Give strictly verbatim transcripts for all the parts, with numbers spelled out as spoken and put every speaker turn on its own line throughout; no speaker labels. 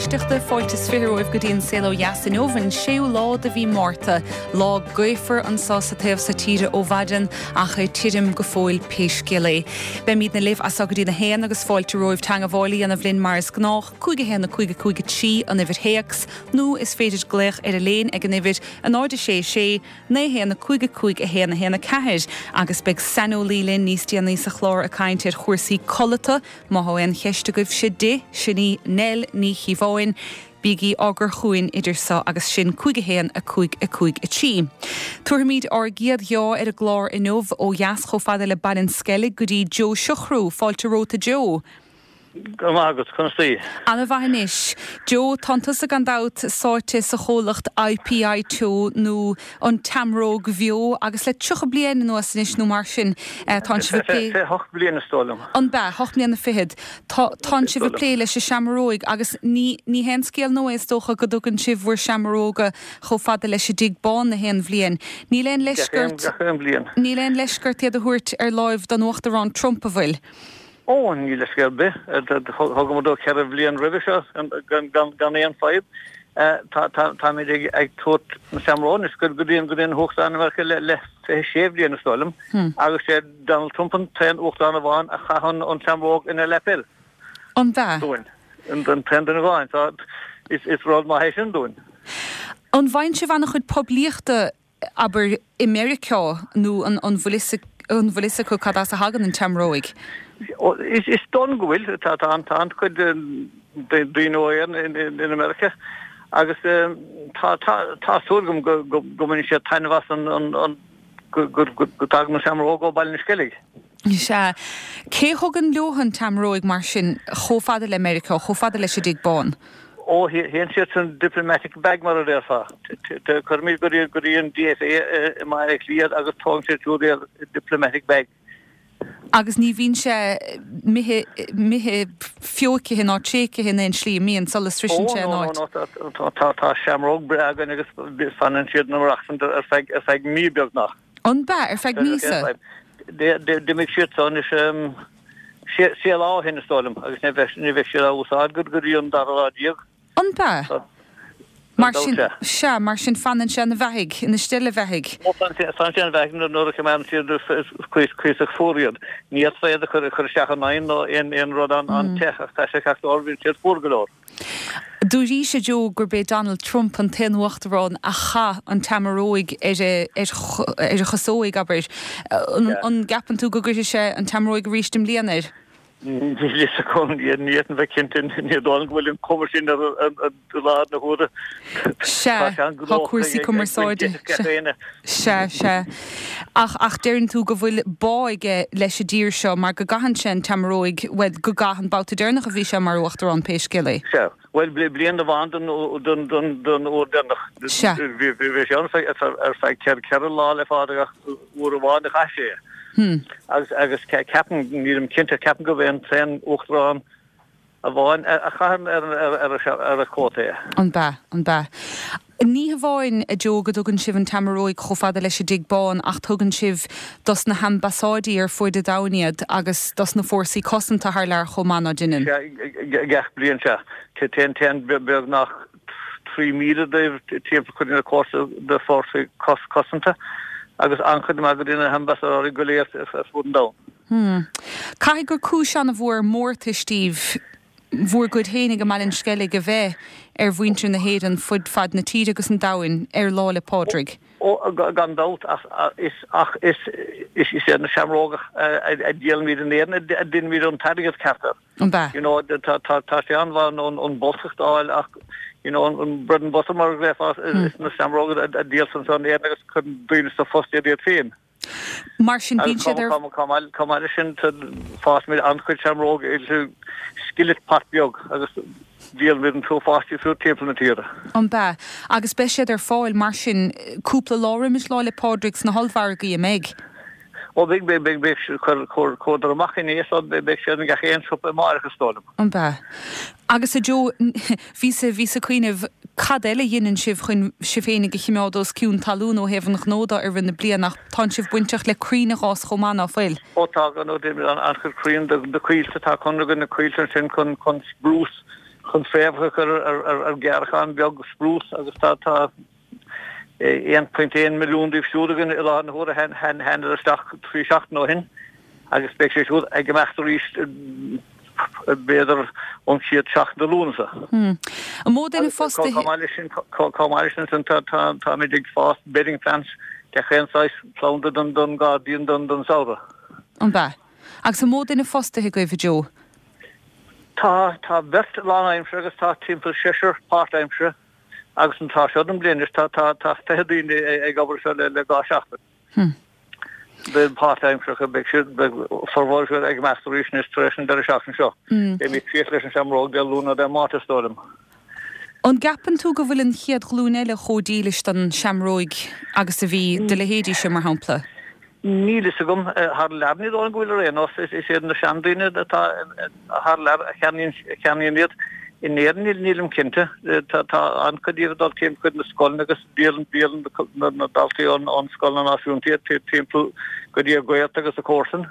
éisteachta fáilte is fiche romhaibh go dtí an saol ó dheas inniu an séú lá de mhí Márta, lá gaofar anseo sa taobh seo tíre ó mhaidin ach é tirim go fóill pé scéal é. Beimidne libh as seo go dtí a haon agus fáilte romhaibh teagmháil a dhéanamh linn mar is gnách cúig a haon a cúig a cúig a trí an uimhir théacs nó is féidir glaoch ar an líne ag an uimhir a náid a sé sé naoi haon a cúig a cúig a haon a haon a ceathair agus beidh saineolaí linn níos déanaí sa chlár ag caint ar chúrsaí codlata má tá aon cheist agaibhse di sin í Nell Ní Chíobháin, Bígí á gcur chugainn idir seo agus sin cúig a haon a cúig a cúig a trí. Tabharfaimid ár gcéad ghiá ar an gclár inniu ó dheas chomh fada le Baile an Sceilg go dtí Joe Siochrú, fáilte romhat a Joe.
Go maith agat conas taoi.
An-mhaith anois. Joe tá tusa gan dabht sáite sa chomhlacht IPI Teo nó an tSeamróg Bheo agus le tríocha bliain anuas anois nó mar sin tá sibh ag plé.
hocht bliana is dóigh liom.
An b'ea hocht mbliana fichead Tá sibh ag plé leis an seamróig agus ní ní haon scéal nua is dócha go dtugann sibh bhur seamróga chomh fada leis an dTigh Bán na haon bhliain. Níl aon leisce ort Níl aon leisce ort iad a thabhairt ar láimh don Uachtarán Trump an bhfuil.
Ó ní leisce ar bith thugamar dó ceithre bhliain roimhe seo gan aon fadhb. Táimid ag tabhairt na seamróg anois go dtí go dtí an hUachtarán Meiriceá le le fiche sé bhliain is dóigh liom agus sé Donald Trump an t-aon uachtarán amháin a chaith an tseamróg ina lapel.
An b'ea?
Dúinn. An t-aon duine amháin tá is is rud maith é sin dúinn.
An bhfaigheann sibh an-chuid poiblíochta abair i Meiriceá nó an an bhfuil an bhfuil fhios acu cad as a thagann an tseamróig?
Is is dóigh go bhfuil tá tá an tá an-chuid daoine ó Éirinn in America agus tá tá tá súil agam go go go mbaineann siad taitneamh as an an an go go go dtagann an seamróg ó Baile an Sceilg.
Sea. Cé thugann leo an tseamróig mar sin chomh fada le Meiriceá, chomh fada leis an dTigh Bán?
Ó théann siad san diplomatic bag mar a déarfá. Cuirimid go dtí go dtí an DFA i mBaile Átha Cliath agus tógann siad siúd iad diplomatic bag.
Agus ní bhíonn sé imithe imithe feoicithe ná tréigthe in aon slí mbíonn sula sroiseann sé an áit.
Ó tá tá seamróg breá againn agus fanann siad na rachsan ar feadh ar feadh mí beagnach.
An b'ea ar feadh míosa?
D'imigh siad so anois sé lá ó shin is dóigh liom agus ní bheidh ní bheidh siad á úsáid go go dtí an dara lá déag.
An b'ea? Mar sin sea mar sin fanann sé ina bheathaidh ina steillebheathaidh.
Ó fanann sé ina bheathaidh nuair a choimeádann siad cuíosach fuar iad. Ní fhéadfá iad a chur chur isteach in oigheann nó aon aon rud an an te ach tá sé ceart go leor bíonn siad fuar go leor.
Dúraís a Joe gurb é Donald Trump an t-aon uachtarán a chaith an tseamróig ar a ar a chasóig abair. An gceapann tú go gcuirfidh sé an tseamróig arís i mbliana air?
Ní ní bheith cinnte ní dóigh go bhfuil an cuma sin ar lá na huaire.
Sea tá cúrsaí cumarsáide. Sea sea. Ach ach deireann tú go bhfuil bá aige leis an dtír seo mar go gcaitheann sé an tseamróig bhuel go gcaith an babhta deireanach a bhí sé mar uachtarán pé scéal é.
Sea. Bhuel bliain amháin don don don don uair deireanach.
Sea.
Bhí sé ann ar feadh ceithre lá le fada ach uair amháin a chaith sé.
Hmm.
Agus agus ceapaim nílim cinnte ceapaim gurb é an t-aon uachtarán amháin a chaitheann ar ar ar a chóta é.
An b'ea an b'ea. Ní hamháin a Joe go dtugann sibh an tseamróig chomh fada leis an dTigh Bán ach tugann sibh dos na hambasáidí ar fud an domhain iad agus dos na fórsaí cosanta thar lear chomh maith ná déanann.
Gach bliain sea. Téann téann beagnach trí míle díobh timpeall chuig na cósta de fórsaí cosanta agus an-chuid maith go dtí na hambasadóirí go léir ar fud an domhain.
Hmm. Caithfidh gur cúis an-mhór mórtais daoibh bhur gcuid féinig i mBaile an Sceilg a bheith ar mhuintir na hÉireann fud fad na tíre agus an domhain ar Lá 'le Pádraig.
Ó gan dabht ach is ach is is is iad na seamróga a dhíolaimid in Éirinn a dhéanaimid an t-airgead ceart air.
An b'ea?
You know tá tá tá sé an-mhaith an an bolscacht a fháil ach you know an bread and butter mar a ghlaofá is na seamróga a dhíoltar anseo in Éirinn agus cuireann daoine sa phost iad iad féin.
Mar sin bíonn siad ar
Chomh maith leis sin fásaimid an-chuid seamróg i skillet pot beag agus díolaimid an t-uafás díobh siúd timpeall na tíre.
An b'ea? Agus beidh siad ar fáil mar sin cúpla lá roimis Lá 'le Pádraig sna hollmhargaí, an mbeidh?
Ó beidh beidh beidh beidh chuir chuir chuadar amach inné so beidh siad in gach aon siopa amárach is dóigh liom.
An b'ea? Agus a Joe, bhíos bhíos ag cuimhneamh cad eile a dhéanann sibh chun sibh féinig a chimeád os cionn talún ó thaobh an ghnó de i rith na bliana ach tánn sibh bainteach le crainn a dh'fhás chomh maith ná fuil?
Ó tá gan dabht déanaimid an-chuid crainn do do coillte tá conradh againn na coillte ansin chun chun spruce chun fréamhacha a chur ar ghearrchán beag sprús agus tá tá aon phointe aon milliún díobh siúd againn i láthair na huaire thánadar isteach trí seachtain ó shin agus beidh sé siúd ag imeacht arís b'fhéidir ón chéad seachtain de Lúnasa.
An mó duine fostaithe?
Chomh maith leis sin, chomh maith leis sin táimid ag fás bedding plants de chaon saghas planda don don gairdín don don samhradh.
An b'ea? Agus an mó duine fostaithe agaibh, a Joe?
Tá, tá beirt lánaimseartha agus tá timpeall seisear páirtaimseartha agus an tráth seo den bhliain anois tá, tá, tá fiche daoine ag obair anseo le, le dhá seachtain.
Hmm.
Beidh páirtaimseartha, beidh siad, beidh formhór siad ag imeacht arís anois tar éis an deireadh seachtaine seo.
Hmm.
Beimid críoch leis an seamróg Dé Luain nó Dé Máirt is dóigh liom.
An gceapann tú go bhfuil an chéad ghlúin eile chomh dílis don seamróig agus a bhí do leithéidíse, mar shampla?
Níl fhios agam. Thar lear ní dóigh liom go bhfuil ar aon nós. Is iad na seandaoine atá thar lear a cheannaíonn iad. In Éirinn nílim cinnte. Tá an-chuid díobh ag dul timpeall chuig na scoileanna agus díolann na daltaí ón scoileanna náisiúnta iad timpeall go dtí a gaolta agus a comharsain.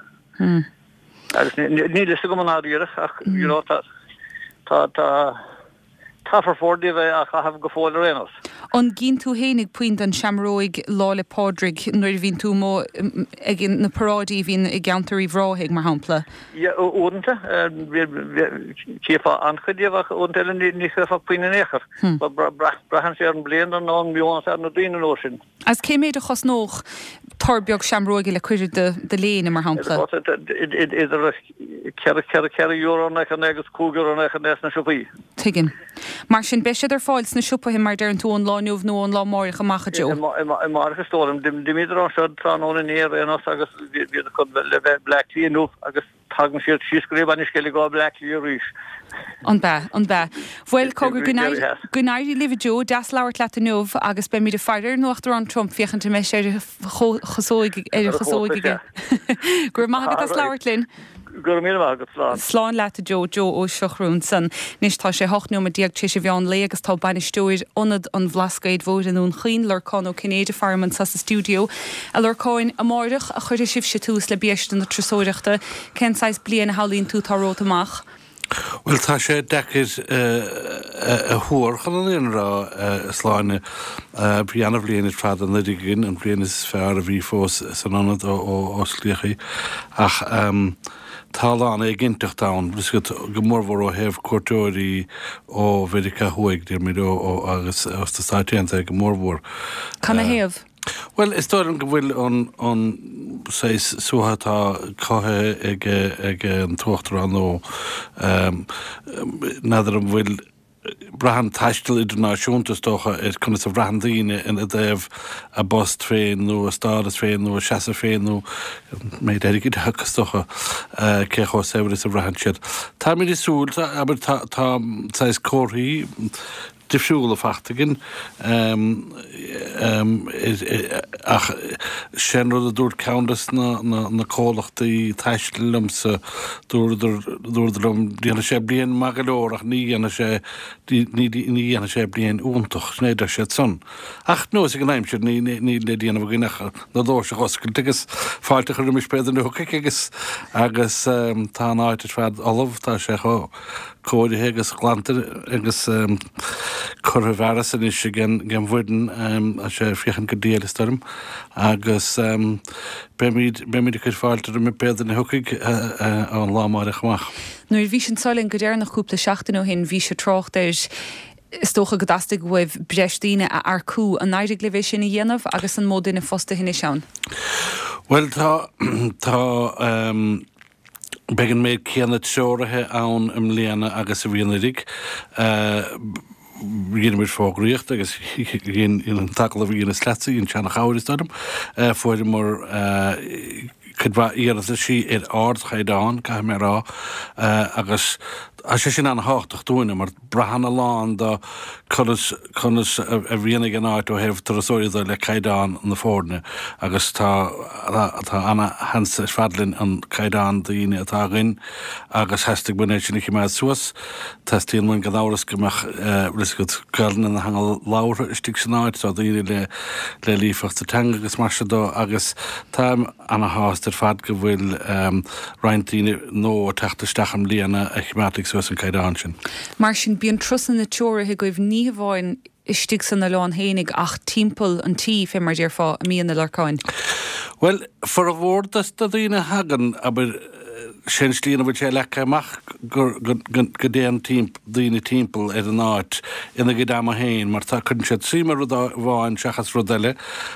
Agus níl fhios agam i ndáiríre ach you know tá tá tá tá formhór díobh á chaitheamh go fóill ar aon nós.
An gcíonn tú fhéinig puinn den seamróig Lá 'le Pádraig nuair a bhíonn tú amuigh ag na paráidí a bhíonn i gceantar Uíbh Ráthaigh, mar shampla?
Yeah, uaireanta. Chífeá an-chuid díobh ach uaireanta eile ní chífeá puinn in aon chor. Braitheann sé ar an mbliain nó an meon atá ar na daoine an uair sin.
Agus cé méid a chosnódh tor beag seamróige le cur i do léine, mar shampla?
Idir ceithre, ceithre, ceithre euro nócha naoi agus cúig euro nócha naoi sna siopaí.
Tuigim. Mar sin, beidh siad ar fáil sna siopaithe, mar deireann tú, ón lá inniu nó ón lá amáireach amach, a Joe?
Amáireach is dóigh liom. D'imíodar anseo tráthnóna inné ar aon nós agus bhíodar chun le bheith i mBleá Cliath inniu agus Tagann siad síos go dtí Baile an Sceilg go Bleá Cliath arís.
An b'ea, an b'ea. Bhuel, cogar, go n-éirí, go n-éirí libh a Joe, deas labhairt leat inniu agus beimid ag faire ar an Uachtarán Trump féachaint an mbeidh sé ar a chosóig, ar a chosóig aige. Go raibh maith agat as labhairt linn.
Go raibh míle maith agat, slán.
Slán leat a Joe, Joe Ó Siochrú ansan. Anois tá sé hocht nóiméad déag tar éis an mheán lae agus tá bainisteoir Ionad an Bhlascaoid Mhóir i nDún Chaoin, Lorcán Ó Cinnéide, faram anso sa stiúideo. A Lorcáin, amáireach a chuirfidh sibhse tús le biaiste na turasóireachta. Cén saghas bliain a shamhlaíonn tú atá romhat amach?
Bhuel, tá sé deacair a thuar chun an fhírinne a rá, a Shláine. Bhí ana-bhliain ar fad anuraidh againn, an bhliain is fearr a bhí fós san ionad ó osclaíodh í. Ach tá a lán éiginnteacht ann, go mórmhór ó thaobh cuairteoirí ó Mheiriceá Thuaidh, déarfaimid, agus ó sna Stáit Aontaithe go mórmhór.
Canathaobh?
Bhuel, is dóigh liom go bhfuil an an saghas suaitheadh atá cothaithe ag ag an tUachtarán nó n'fheadar an bhfuil braitheann taisteal idirnáisiúnta is dócha ar conas a bhraitheann daoine ina dtaobh a bpost féin nó a stádas féin nó a seasamh féin nó an méid airgid acu is dócha cé chomh saibhir is a bhraitheann siad. Táimid ag súil, abair, tá tá saghas comharthaí difriúla faighte againn ach sé an rud a dúirt ceann des na comhlachtaí taistil liomsa, dúradar dúradar liom déanfaidh sé bliain maith go leor ach ní dhéanfaidh sé ní ní dhéanfaidh sé bliain iontach, sin é a deir siad san. Ach nós ag an aimsir ní níl le déanamh againn ach na doirse a oscailt agus fáilte a chur roimis pé duine a thiocfaidh agus agus tá an áit ar fad ullamh, tá sé chomh cóirithe agus glanta agus curtha i bhfearas anois ag an bhfoireann, tá sé ag féachaint go diail is dóigh liom, agus beimid, beimid ag cur fáilte roimh pé duine a thiocfaidh ón lá amáireach amach.
Nuair a bhís anso linn go deireanach cúpla seachtain ó shin bhís ag trácht ar, is dócha go dteastaigh uaibh breis daoine a earcú. An éirigh libh é sin a dhéanamh agus an mó duine fostaithe anois ann?
Bhuel tá, tá, Beidh an méid céanna treoraithe ann i mbliana agus a bhí anuraidh. Dhein muid fógraíocht agus dhein an t-agallamh a dheineas leatsa, dhein sé ana-chabhair is dóigh liom. Fuaireamar cuid mhaith iarrataisí ar ardchaighdeán, caithfidh mé a rá, agus tá sé sin ana-thábhachtach dúinne mar braitheann a lán de conas conas a bhíonn ag an áit ó thaobh turasóirí de le caighdeán na foirne agus tá tá ana-sheans ar fad linn an caighdeán daoine atá againn agus theastaigh uainn é sin a choimeád suas. Teastaíonn uainn gan amhras go mbeadh bhfuil fhios agat Gaelainn ina theanga labhartha istigh san áit, tá daoine le le líofacht sa teanga agus mar sin de agus táim ana-shásta ar ar fad go bhfuil roinnt daoine nua ag teacht isteach i mbliana a choimeádfaidh suas an caighdeán sin.
Mar sin bíonn turasanna treoraithe agaibh ní hamháin istigh san oileán fhéinig ach timpeall an tí fé mar déarfá i mí na Lorcáin.
Well, formhór de na daoine a thagann, abair, sin slí ina bhfuil sé leagtha amach go dtéann daoine timpeall ar an áit ina gcuid ama féin mar tá cuireann siad suim i rud amháin seachas rud eile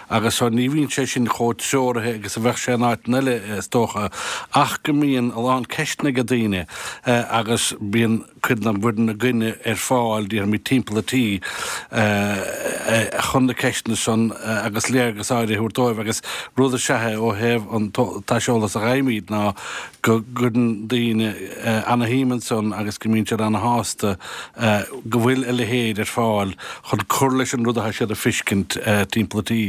agus so ní bhíonn sé sin chomh treoraithe agus a bheadh sé in áiteanna eile is dócha ach go mbíonn a lán ceisteanna ag daoine agus bíonn cuid den bhfoireann againne ar fáil déarfaimid timpeall an tí chun na ceisteanna san agus léargas áirithe a thabhairt dóibh agus rud is ea é ó thaobh an t-aiseolas a fhaighimid ná go gcuireann daoine ana-shuim ansan agus go mbíonn siad ana-shásta go bhfuil a leithéid ar fáil chun cur leis an rud atá siad a feiscint timpeall an tí.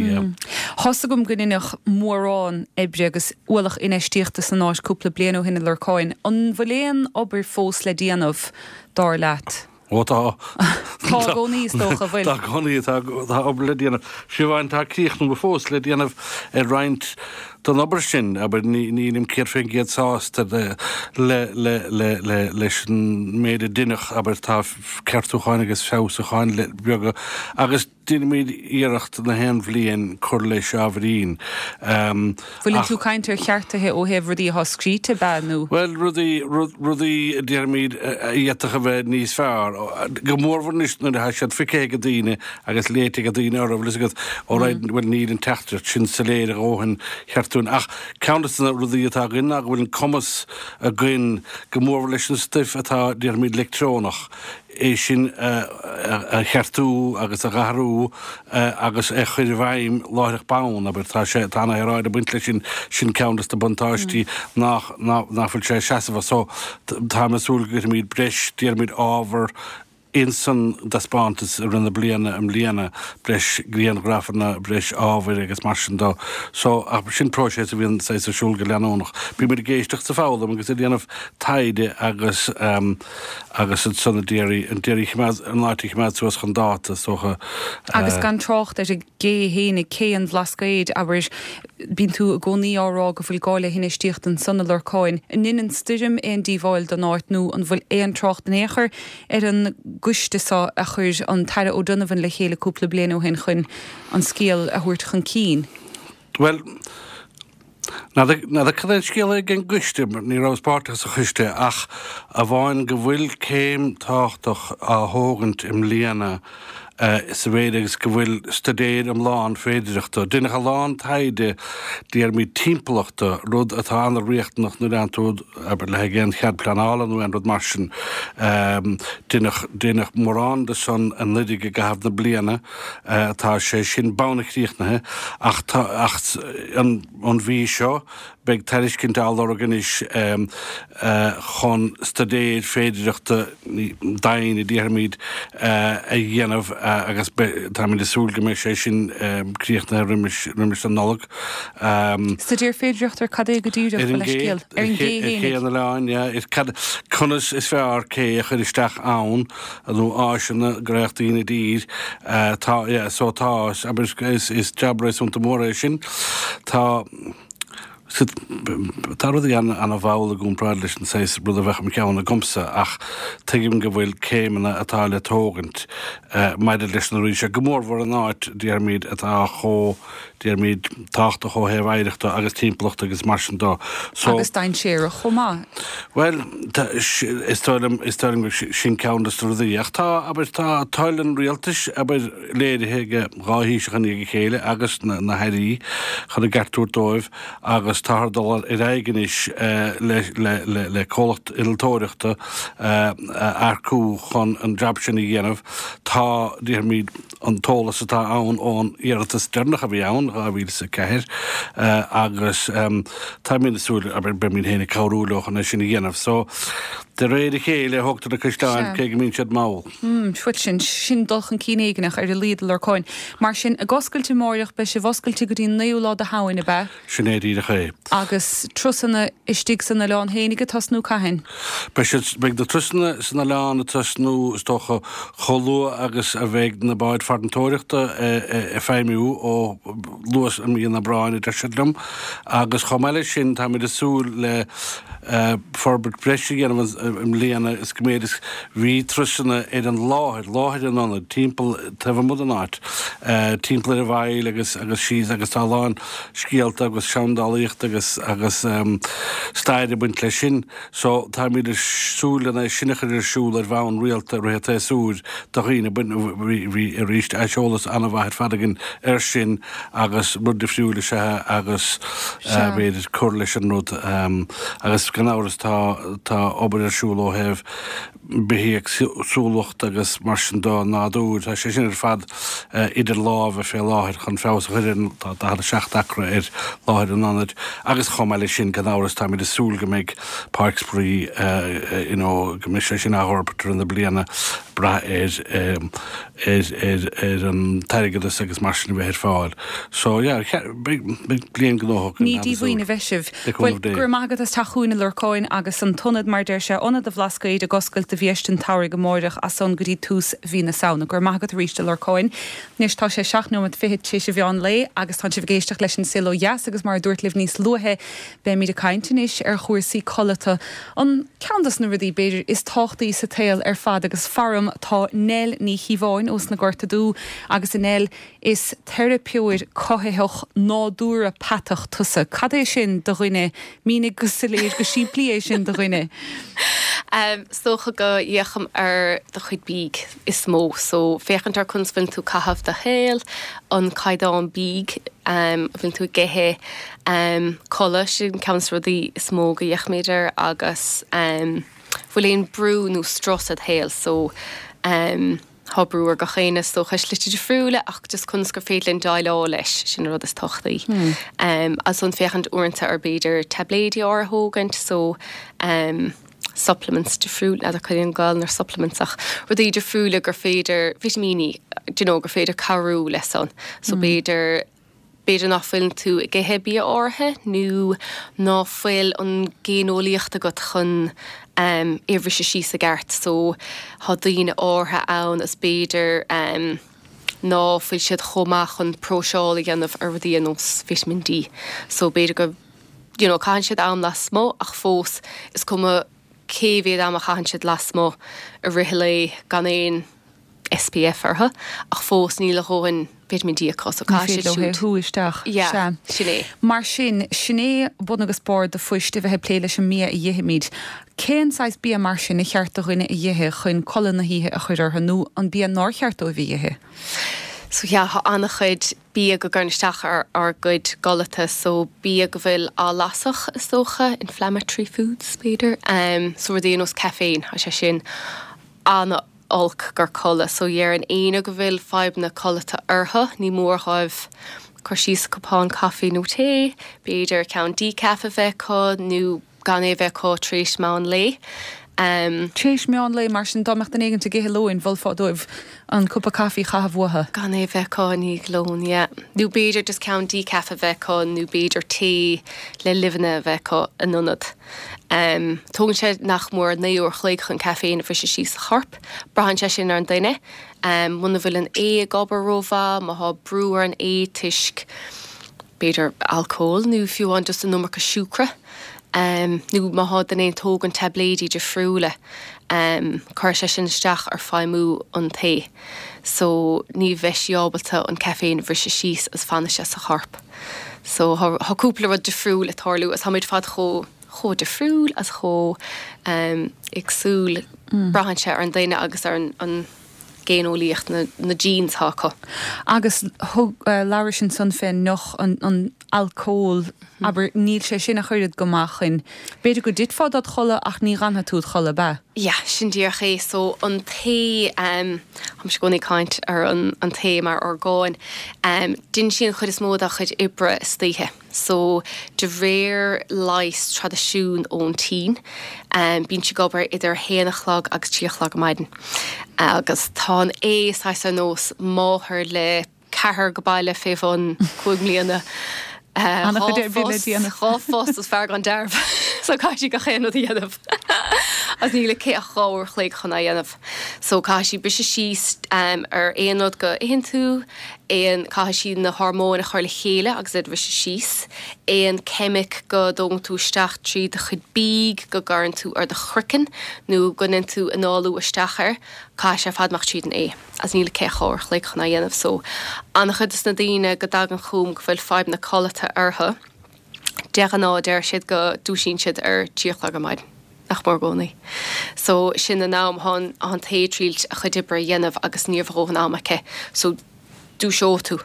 Tá's agam go ndeineadh mórán oibre agus ualach infheistíochta san áit cúpla bliain ó shin i Lorcáin. An bhfuil aon obair fós le déanamh, dar leat?
Ó tá.
Tá i gcónaí is dócha, bhfuil?
Tá i gcónaí, tá tá obair le déanamh. Fiú amháin tá críochnú fós le déanamh ar roinnt den obair sin, abair nílim céad faoin gcéad sásta le le le le le leis an méid a deineadh, abair tá ceartúcháin agus feabhsúcháin le beaga agus déanaimid iarracht na haon bhliain cur leis ábhairín.
Bhfuil tú caint ar cheartuithe ó thaobh rudaí atá scríte ab ea nó?
Bhuel, rudaí, rudaí a déarfaimid a d'fhéadfadh a bheith níos fearr. Go mórmhór anois nuair atá siad feicthe ag daoine agus léite ag daoine orthu, bhfuil fhios agat, alright, bhuel níl an teachtaireacht sin soiléir a dhóthain cheart dúinn. Ach ceann de na rudaí atá againn ná go bhfuil an cumas againn go mórmhór leis an stuif atá, déarfaimid, leictreonach, é sin a cheartú agus a dh'athrú agus a chur i bhfeidhm láithreach bonn, abair, tá sé, tá ana shaoráid ag baint leis sin, sin ceann des na buntáistí nach, nach bhfuil sé seasamhach. So, táim ag súil go gcuirfimid breis, déarfaimid, ábhar ins an dtaispeántas i rith na bliana i mbliana, breis grianghrafanna, breis ábhair agus mar sin dó. So, ach sin próiseas a bhíonn saghas ar siúl go leanúnach. Bímid ag éisteacht is ag foghlaim agus ag déanamh taighde agus agus ansan ag iarraidh, ag iarraidh choimeád, an áit a choimeád suas chun dáta, is dócha.
Agus gan trácht ar an gcé fhéinig, cé an Bhlascaoid, abair, bíonn tú i gcónaí á rá go bhfuil gá le hinfheistíocht ansan i Lorcáin. An ndein an stoirm aon díobháil don áit nó an bhfuil aon trácht in aon chor ar an gcoiste seo a chuir an tAire O'Donovan le chéile cúpla bliain ó shin chun an scéal a thabhairt chun cinn?
Bhuel, n'fheadar cad é an scéal ag an gcoiste, ní rabhas páirteach sa choiste, ach amháin go bhfuil céim tábhachtach á thógaint i mbliana sa mhéid agus go bhfuil staidéar iomlán féidireachta. Deineadh a lán taighde déarfaimid timpeallachta, rud atá an-riachtanach nuair a fhaigheann tú, abair, le haghaidh aon chead pleanála nó aon rud mar sin. Deineadh, deineadh mórán de san anuiridh i gcaitheamh na bliana. Tá sé sin bonn críochnaithe ach tá, ach an, an mhí seo, Beidh tairiscint á lorg anois chun staidéar féidireachta doimhne, déarfaimid, a dhéanamh agus táimid ag súil go mbeidh sé sin críochnaithe roimis an Nollaig.
Staidéar féidireachta ar cad é go díreach,
mo leithscéal? Ar an gcé Ar ché an oileáin, yeah. Cad, conas is fearr cé a chur isteach ann nó áiseanna go raghadh daoine i dtír. Tá, yeah, so tá, abair, is jab réasúnta mór é sin. Tá. Tá rudaí an-mhall i gcomparáid leis an saghas rud a bheadh im cheann agamsa ach tuigim go bhfuil céimeanna atá le tógaint maidir leis na rudaí seo, go mórmhór in áit, déarfaimid, atá chomh, déarfaimid, tábhachtach ó thaobh oidhreachta agus timpeallachta agus mar sin dó.
So. Agus dainséarach chomh maith.
Bhuel, is dóigh liom, is dóigh liom gur sin ceann de na rudaí. Ach tá, abair, tá toil an rialtais, abair, léirithe ag dhá Thaoiseach i ndiaidh a chéile agus na hairí chun a gceart a thabhairt dóibh agus táthar ag dul ar aghaidh anois le comhlacht innealtóireachta a earcú chun an jab sin a dhéanamh. Tá, déarfaimid, an t-eolas atá ann ón iarratas deireanach a bhí ann, dhá mhíle is a ceathair, agus táimid ag súil, abair, beimid féin ag cabhrú leo chun é sin a dhéanamh. So, De réir a chéile a thógtar na caisleáin cé go mbíonn siad mall.
Bhuel sin, sin dul chun cinn éigineach ar a laghad a Lorcáin. Mar sin, ag oscailt amáireach, beidh sibh oscailte go dtí an naoú lá de Shamhain, ab ea?
Sin é díreach é.
Agus turasanna istigh san oileán fhéinig ag tosnú cathain?
Beidh siad, beidh na turasanna san oileán ag tosnú is dócha chomh luath agus a bheidh na báid farantóireachta ag feidhmiú ó luath i mí an Aibreáin a deir siad liom. Agus chomh maith leis sin táimid ag súil le forbairt breise a dhéanamh i mbliana is go mb'fhéidir bhí turasanna ar an láthair, láthair an ionaid, timpeall, taobh amuigh den áit, timpeall ar an bhfaill agus agus síos agus tá a lán scéalta agus seandálaíocht agus agus stair ag baint leis sin. So táimid ag súil lena sin a chur ar siúl ar bhonn rialta i rith an tséasúir do dhaoine. Bhí bhí arís aiseolas an-mhaith ar fad againn air sin agus rud difriúil is ea agus b'fhéidir cur leis an rud agus gan amhras tá tá obair ar siúl ó thaobh bithéagsúlacht agus mar sin de, nádúr, tá sé sin ar fad idir lámha fé láthair chun feabhas a chur ar an, tá daichead a seacht acra ar láthair an ionaid agus chomh maith leis sin gan amhras táimid ag súil go mbeidh páirc spraoi you know go mbeidh sé sin á fhorbairt i rith na bliana brath ar ar ar ar an t-airgeadas agus mar sin a bheith ar fáil. So yeah, beidh beidh bliain gnóthach
Ní díomhaoin a bheidh sibh.
Le
Bhuel,
cúnamh Dé.
go raibh maith agat as teacht chugainn a Lorcáin agus an t-ionad mar deir sé, Ionad an Bhlascaoid ag oscailt do bhéist an tsamhraidh amáireach as san go dtí tús mhí na Samhna. Go raibh maith agat arís a Lorcáin. Anois tá sé seacht nóiméad fichead tar éis an mheán lae agus tánn sibh ag éisteacht leis an Saol Ó Dheas agus mar a dúirt libh níos luaithe beimid ag caint anois ar chúrsaí codlata, an ceann dos na rudaí b'fhéidir is tábhachtaí sa tsaol ar fad agus faram tá Nell Ní Chíobháin ós na Gorta Dubha agus a Nell is teiripeoir cothaitheach nádúrapatach tusa. Cad é sin do dhuine? Mínigh go soiléir go simplí é sin do dhuine.
Um, is dócha go bhféachaim ar do chuid bídh is mó, so féachaint ar conas bhfuil tú caitheamh do shaol, an caighdeán bídh um, a bhfuil tú ag ithe, um, codladh, sin ceann de na rudaí is mó go bhféachaimid air agus um, bhfuil aon brú nó strus id shaol, so um, Tá brú ar gach éinne is dócha i slite difriúla ach just conas gur féidir linn déileáil leis, sin an rud is tábhachtaí. Um, agus ansan féachaint uaireanta ar b'fhéidir taibléidí áirithe a thógaint so um, supplements difriúil, n'fheadar cad é an Gaelainn ar supplements ach rudaí difriúla gur féidir, vitimíní, do you know, gur féidir cabhrú leis san. So b'fhéidir B'fhéidir nach bhfuil tú ag ithe bia áirithe nó ná fuil an géineolaíocht agat chun é a bhriseadh síos i gceart so tá daoine áirithe ann is b'fhéidir ná fuil siad chomh maith chun próiseáil a dhéanamh ar rudaí ar nós Vitamin D so b'fhéidir go you know caitheann siad am lasmuigh ach fós is cuma cé mhéad am a chaitheann siad lasmuigh i rith an lae gan aon S P F orthu ach fós níl a dhóthain Vitamin D acu so caithfidh siad siúd.
Shú isteach.
Yeah,
Sea.
sin é.
Mar sin, sin é bun agus barr do phoist a bheith ag plé leis an mbia a dh'ithimid. Cén saghas bia mar sin a cheart do dhuine a dh'ithe chun codladh na hoíche a chur orthu nó an bia nár cheart dóibh a dh'ithe?
So yeah, tá an-chuid bia go gcuireann isteach ar ár gcuid codlata, so bia go bhfuil athlasadh is dócha, inflammatory foods b'fhéidir, um, so rudaí ar nós caiféin, tá sé sin an- olc gur codladh so dhéarfainn éinne go bhfuil fadhbanna codlata orthu, ní mór dhóibh cur síos cupán caife nó tae, b'fhéidir ceann decaf a bheith acu nó gan é a bheith acu tar éis meán lae. Um,
Tar éis meán lae mar sin dá mbeadh duine éigin ag ithe lóin, mholfá dóibh an cupa caife a chaitheamh uathu.
Gan é a bheith acu i ndiaidh lóin, yeah. Nó b'fhéidir just ceann decaf a bheith acu nó b'fhéidir tae le luibheanna a bheith acu in ionad. Um, tógann sé nach mór naoi uair chloig chun caiféin a bhriseadh síos sa chorp. Braitheann sé sin ar an duine. Um, muna bhfuil an ae ag obair rómhaith, má thá brú ar an ae toisc b'fhéidir alcól nó fiú amháin just an iomarca siúcra. Um, nó má thá duine ag tógaint taibléidí difriúla, um, cuireann sé sin isteach ar feidhmiú an tae. So ní bheidh sí ábalta an caiféin a bhriseadh síos is fanfaidh sé sa chorp. So thá cúpla rud difriúil ag tarlú is táimid fad chomh chomh difriúil as chomh um, éagsúil mm. Braitheann sé ar an duine agus ar an, an géineolaíocht na, na genes atá acu.
Agus thug uh, labhair ansan fén noch an, an alcól mm. abair níl sé sin ach oiread go maith chun. B'fhéidir go dtitfeá dod chodladh ach ní fhanfaidh tú id chodladh ab ea.
Yeah, sin díreach é so an tae um, táimse i gcónaí ag caint ar an, an tae mar orgán um, déanann sé an chuid is mó dá chuid oibre istoíche. So de réir leighis traidisiún ón tSín, um, bíonn sí ag obair idir haon a chlog agus trí a chlog ar maidin. Agus tá an ae saghas ar nós máthair le ceathrar go baile fé bhun cúig mbliana. Dhá phost is fear gan dearbh so caithfidh sí gach aon rud a dhéanamh. Agus níl aici ach dhá uair a chloig chun é a dhéanamh. So caithfidh sí briseadh síos um, ar aon rud go itheann tú, aon caithfidh sí na hormóin a chur le chéile agus iad a bhriseadh síos, aon ceimic go dtógann tú isteach trí do chuid bídh go gcuireann tú ar do chraiceann nó go ndéanann tú análú isteach air, caithfidh sé ar fad amach tríd an ae. Agus níl aici ach dhá uair a chloig chun é a dhéanamh. So an-chuid des na daoine go dtagann chugam go bhfuil fadhb na codlata orthu, de ghnáth deir siad go dúisíonn siad ar trí a chlog ar maidin, nach mór i gcónaí. So sin an am atá an t-ae ag triail a chuid oibre a dhéanamh agus ní raibh a dhóthain ama aici. So dúiseoidh tú.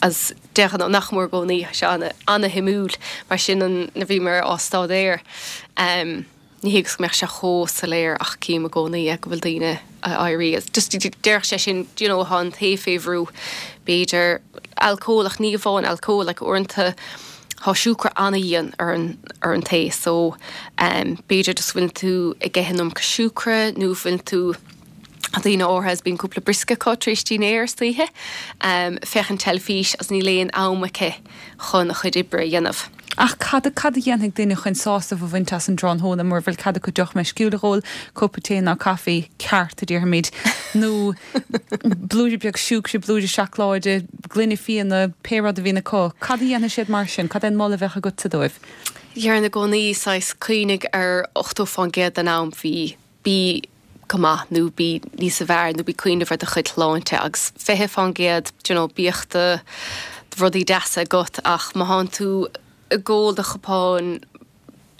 As de ghnáth nach mór i gcónaí, tá sé ana-shuimiúil mar sin an nuair a bhíomar á staidéar. Um, ní hé go mbeadh sé chomh soiléir ach cím i gcónaí go bhfuil daoine a éirí. Just déarfadh sé sin you know, tá an t-ae fé bhrú b'fhéidir alcól ach ní amháin alcól like uaireanta tá siúcra an-dhian ar an ar an t-ae so um, b'fhéidir just bhfuil tú ag ithe an iomarca siúcra nó bhfuil tú daoine áirithe is bíonn cúpla briosca acu tar éis dinnéir istoíche, um, féachaint teilifís agus níl aon am aici chun a chuid oibre a dhéanamh.
Ach cad cad a dhéanfaidh duine chun sásamh a bhaint as an tráthnóna mura bhfuil cead acu deoch meisciúil a dh'ól, cupa tae ná caife ceart a déarfaimid, nó blúire beag siúcra, blúire seacláide, gloine fíona, pé rud a bhíonn acu. Cad a dhéanfaidh siad mar sin? Cad é an moladh a bheadh agatsa dóibh?
Déarfainn i gcónaí saghas cuimhnigh ar ochtó fán gcéad den am bhí bí go maith nó bí níos fearr nó bí cuimhneamh ar do chuid shláinte agus fiche fán gcéad you know, bíodh do rudaí deasa agat ach má thánn tú ag ól do chupán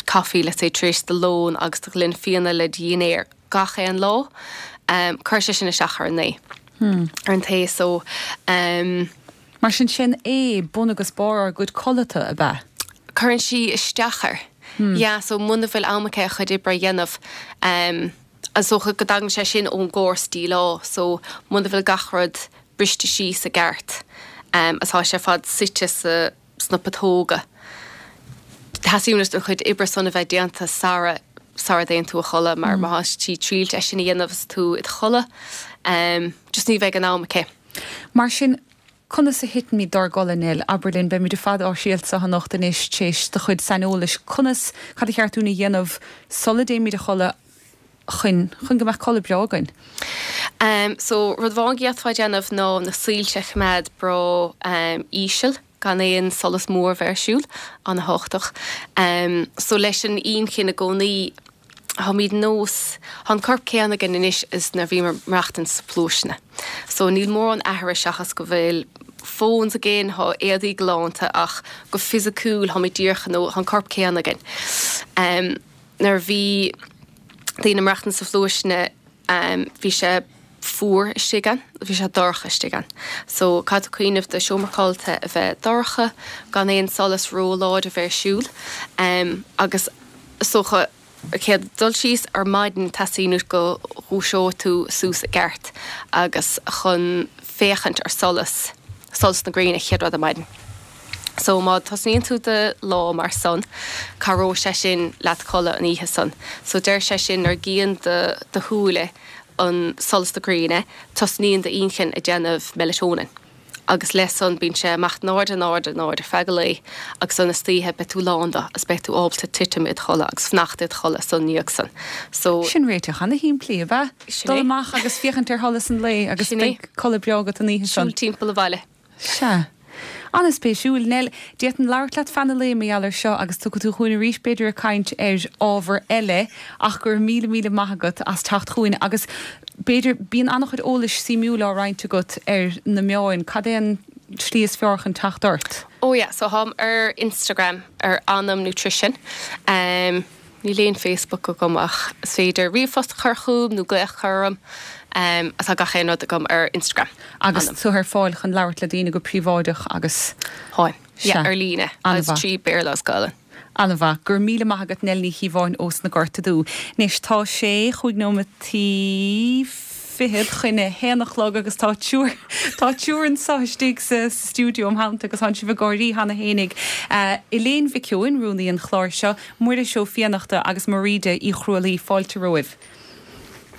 caife let's say tar éis do lón agus do ghloine fíona le dinnéar gach aon lá, um, cuir sé sin isteach ar an ae. Hmm. Ar an t-ae so um,
Mar sin sin é bun agus barr ár gcuid codlata ab ea?
Cuireann sí isteach air. Hmm. Yeah, so muna bhfuil am aici a chuid oibre a dhéanamh um, is dócha go dtagann sé sin ón gcóras díleá, so muna bhfuil gach rud briste síos i gceart um, atá sé fad suite sa sna putóga. Teastaíonn an chuid oibre san a bheith déanta sara sara dtéann tú a chodladh mar mm. má tá sí ag triail é sin a dhéanamh is tú i do chodladh, um, just ní bheidh an am aici.
Mar sin conas a thitfimid dár gcodladh Nell, abair linn, beimid ar fad ár síolta anocht anois tar éis do chuid saineolais, conas cad ba cheart dúinn a dhéanamh sula dtéimid a chodladh chun chun go mbeadh codladh breá againn.
Um, so rud amháin go bhféadfá déanamh ná na soilse a choimeád breá um, íseal gan aon solas mór bheith ar siúl an-tábhachtach. Um, so leis an inchinn i gcónaí táimid nós an corp céanna againn anois is nuair a bhíomar ag maireachtaint sna pluaiseanna. So níl mórán athraithe seachas go bhfuil phones againn tá éadaí galánta ach go fisiciúil táimid díreach nó an corp céanna againn. Um, nuair a bhí daoine ag maireachtaint sa phluaiseanna um, bhí sé fuar istigh ann, bhí sé dorcha istigh ann. So caithfidh tú cuimhneamh do seomra codlata a bheith dorcha gan aon solas róláidir a bheith ar siúl um, agus socha céad dul síos ar maidin teastaíonn uait go ndúiseoidh tú suas i gceart agus chun féachaint ar solas solas na gréine chéad rud ar maidin. So má tosnaíonn tú do lá mar san, cabhróidh sé sin leat codladh an oíche san. So deir sé sin nuair a chíonn do do shúile an solas na gréine, tosnaíonn d'inchinn ag déanamh melatonin. Agus leis san bíonn sé amach in airde in airde in airde ar feadh an lae agus san istoíche beidh tú lán de agus beidh tú ábalta titim id chodladh agus fanacht id chodladh san ndiaidh san.
So Sin réiteach ana-shimplí, ab ea? Dul amach agus féachaint ar sholas an lae agus
Sin é.
beidh codladh breá agat an oíche san.
Siúl timpeall an bhaile.
Sea. An-spéisiúil Nell, d'fhéadfainn labhairt leat feadh an lae mar gheall air seo agus tiocfaidh tú chugainn arís b'fhéidir ag caint ar ábhar eile ach go raibh míle míle maith agat as teacht chugainn agus b'fhéidir bíonn an-chuid eolais suimiúil á roinnt agat ar na meáin, cad é an slí is fearr chun teacht ort?
Oh yeah, so táim ar Instagram ar Anam Nutrition. Um, níl aon Facebook agam ach is féidir ríomhphost a chur chugam nó glaoch a chur orm. Um, atá gach aon rud agam ar Instagram.
Agus tú ar fáil chun labhairt le daoine go príobháideach agus
Táim. Yeah,
Sea.
ar líne
An-mhaith.
agus trí Béarla agus Gaeilge.
An-mhaith, gur míle maith agat Nell Ní Chíobháin ós na Gorta Dubh. Anois tá sé chúig nóiméadaí fichead chun a haon a chlog agus tá triúr tá triúr anseo istigh sa stiúideo im theannta agus tá sibh ag gáirí cheana fhéinig. Elaine Mhic Eoin, rúnaí an chláir seo, Muiris Ó Fiannachta agus Mairíde Uí Chrualaoi, fáilte romhaibh.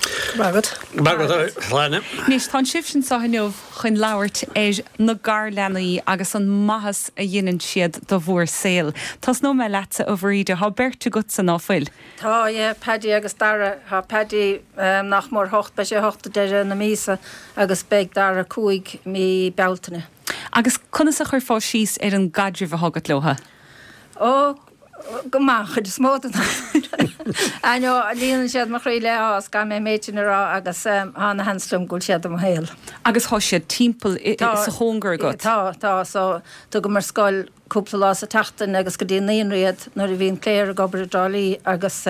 Go raibh agat.
Go raibh agat, a Shláine.
Anois, tá sibhse anseo inniu chun labhairt ar na garleanaí agus an maitheas a dhéanann siad do bhur saol. Tosnóidh mé leatsa, a Mhairíde, tá beirt agatsa ná fuil?
Tá, yeah, Paddy agus Dara. Tá Paddy nach mór hocht, beidh sé hocht ag deireadh na míosa agus beidh Dara cúig mí Bealtaine.
Agus conas a chuirfeá síos ar an gcaidreamh atá agat leo?
Ó, go maith, an chuid is mó den am. I know, líonann siad mo chroí le áthas, caithfidh mé an méid sin a rá agus tá ana-sheans liom go bhfuil siad i mo shaol.
Agus tá siad timpeall sa chóngar agat?
Tá, tá, so tugaim ar scoil cúpla lá sa tseachtain agus go dtí an naíonra iad nuair a bhíonn Claire ag obair i dTrá Lí agus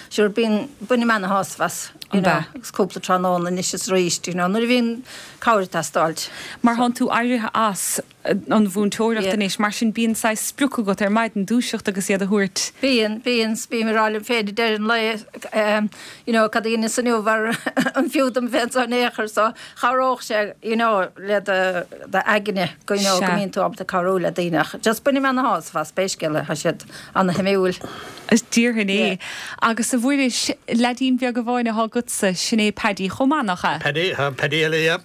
sure bíonn, bainim ana-shásamh as, you know, agus cúpla tráthnóna anois is arís, you know, nuair a bhíonn cabhair ag teastáilt.
Mar thánn tú éirithe as an mhúinteoireacht anois, mar sin bíonn saghas sprioc agat ar maidin dúiseacht agus iad a thabhairt.
Bíonn, bíonn, bím ag rá liom féin ag deireadh an lae, you know, cad a dheineas inniu ar an fiú dom bheith anseo in aon chor, so chabhródh sé, you know, le do d'aigne go, you know, go mbíonn tú ábalta cabhrú le daoine ach just bainim ana-shásamh as, pé scéal é, tá siad ana-shuimiúil.
Is déarfainn é. Agus a Mhuiris, leaidín beag amháin atá agatsa, sin é Paddy chomh maith, nach ea?
Paddy, tá Paddy eile, yeah.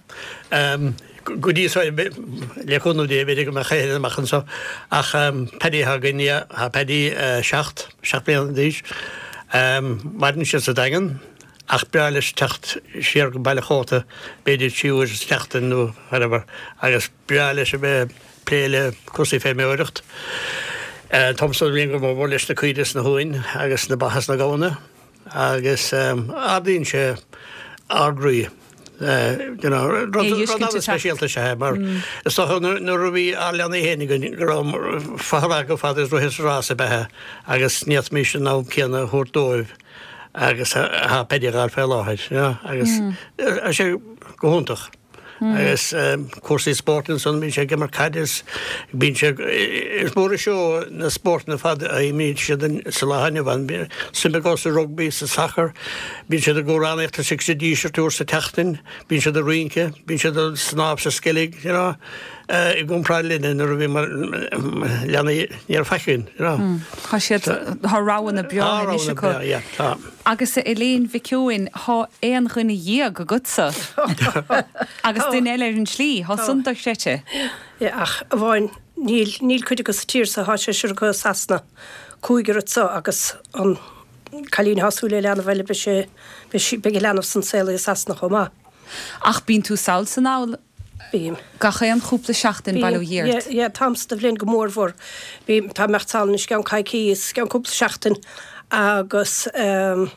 Go dtí so, le cúnamh Dé, b'fhéidir go mbeadh eile amach anseo. Ach Paddy atá againn, yeah, tá Paddy seacht, seacht mbliana d'aois. Maireann sé sa Daingean ach breá leis teacht siar go Baile Chóta b'fhéidir trí uair sa tseachtain nó whatever agus breá leis a bheith ag plé le cúrsaí feirmeoireacht. Táimse ag go mór leis na caoirigh is na huain agus na ba is na gamhna agus ardaíonn sé ár gcroí. You know, rud an-speisialta is ea é mar is dócha nuair a bhí ár leanaí féin againn go raibh fothracha go fada is rith is rás ab ea agus ní fhéadfaimis an am céanna a thabhairt dóibh agus atá Paddy a fháil fé láthair, you know, agus tá sé go hiontach. Agus cúrsaí spóirt ansan, bíonn sé ag imirt caide is bíonn sé, is mór an seó na spórtanna ar fad a imríonn siad sa lá inniu ann. Suim acu sa rugbaí, sa sacar, bíonn siad ag amhránaíocht istigh sa Díseart uair sa tseachtain, bíonn siad ag rince, bíonn siad ag snámh sa Sceilg, you know, i gcomparáid linne nuair a bhí mar leanaí ní raibh faic againn, you know.
Tá siad, tá roghanna breá anois acu. Tá roghanna breá, yeah, tá. Agus a Elaine Mhic Eoin, thá aon dhuine dhéag agatsa. Agus duine eile ar an tslí, thá san dochreidte.
Yeah, ach amháin níl, níl cuid acu sa tír so, thá seisear acu i Sasana, cúigear anso agus an cailín athá ag súil le leanbh eile, beidh sé, beidh sí, beidh a leanbh san saolaithe i Sasana chomh maith.
Ach bíonn tú sall 's anall
Bím.
gach aon chúpla seachtain, bail ó Dhia
Bím,
ort.
yeah, yeah, an t-am so de bhliain go mórmhór. Bím, tá imeacht sall anois i gceann coicíos, i gceann cúpla seachtain agus ehm,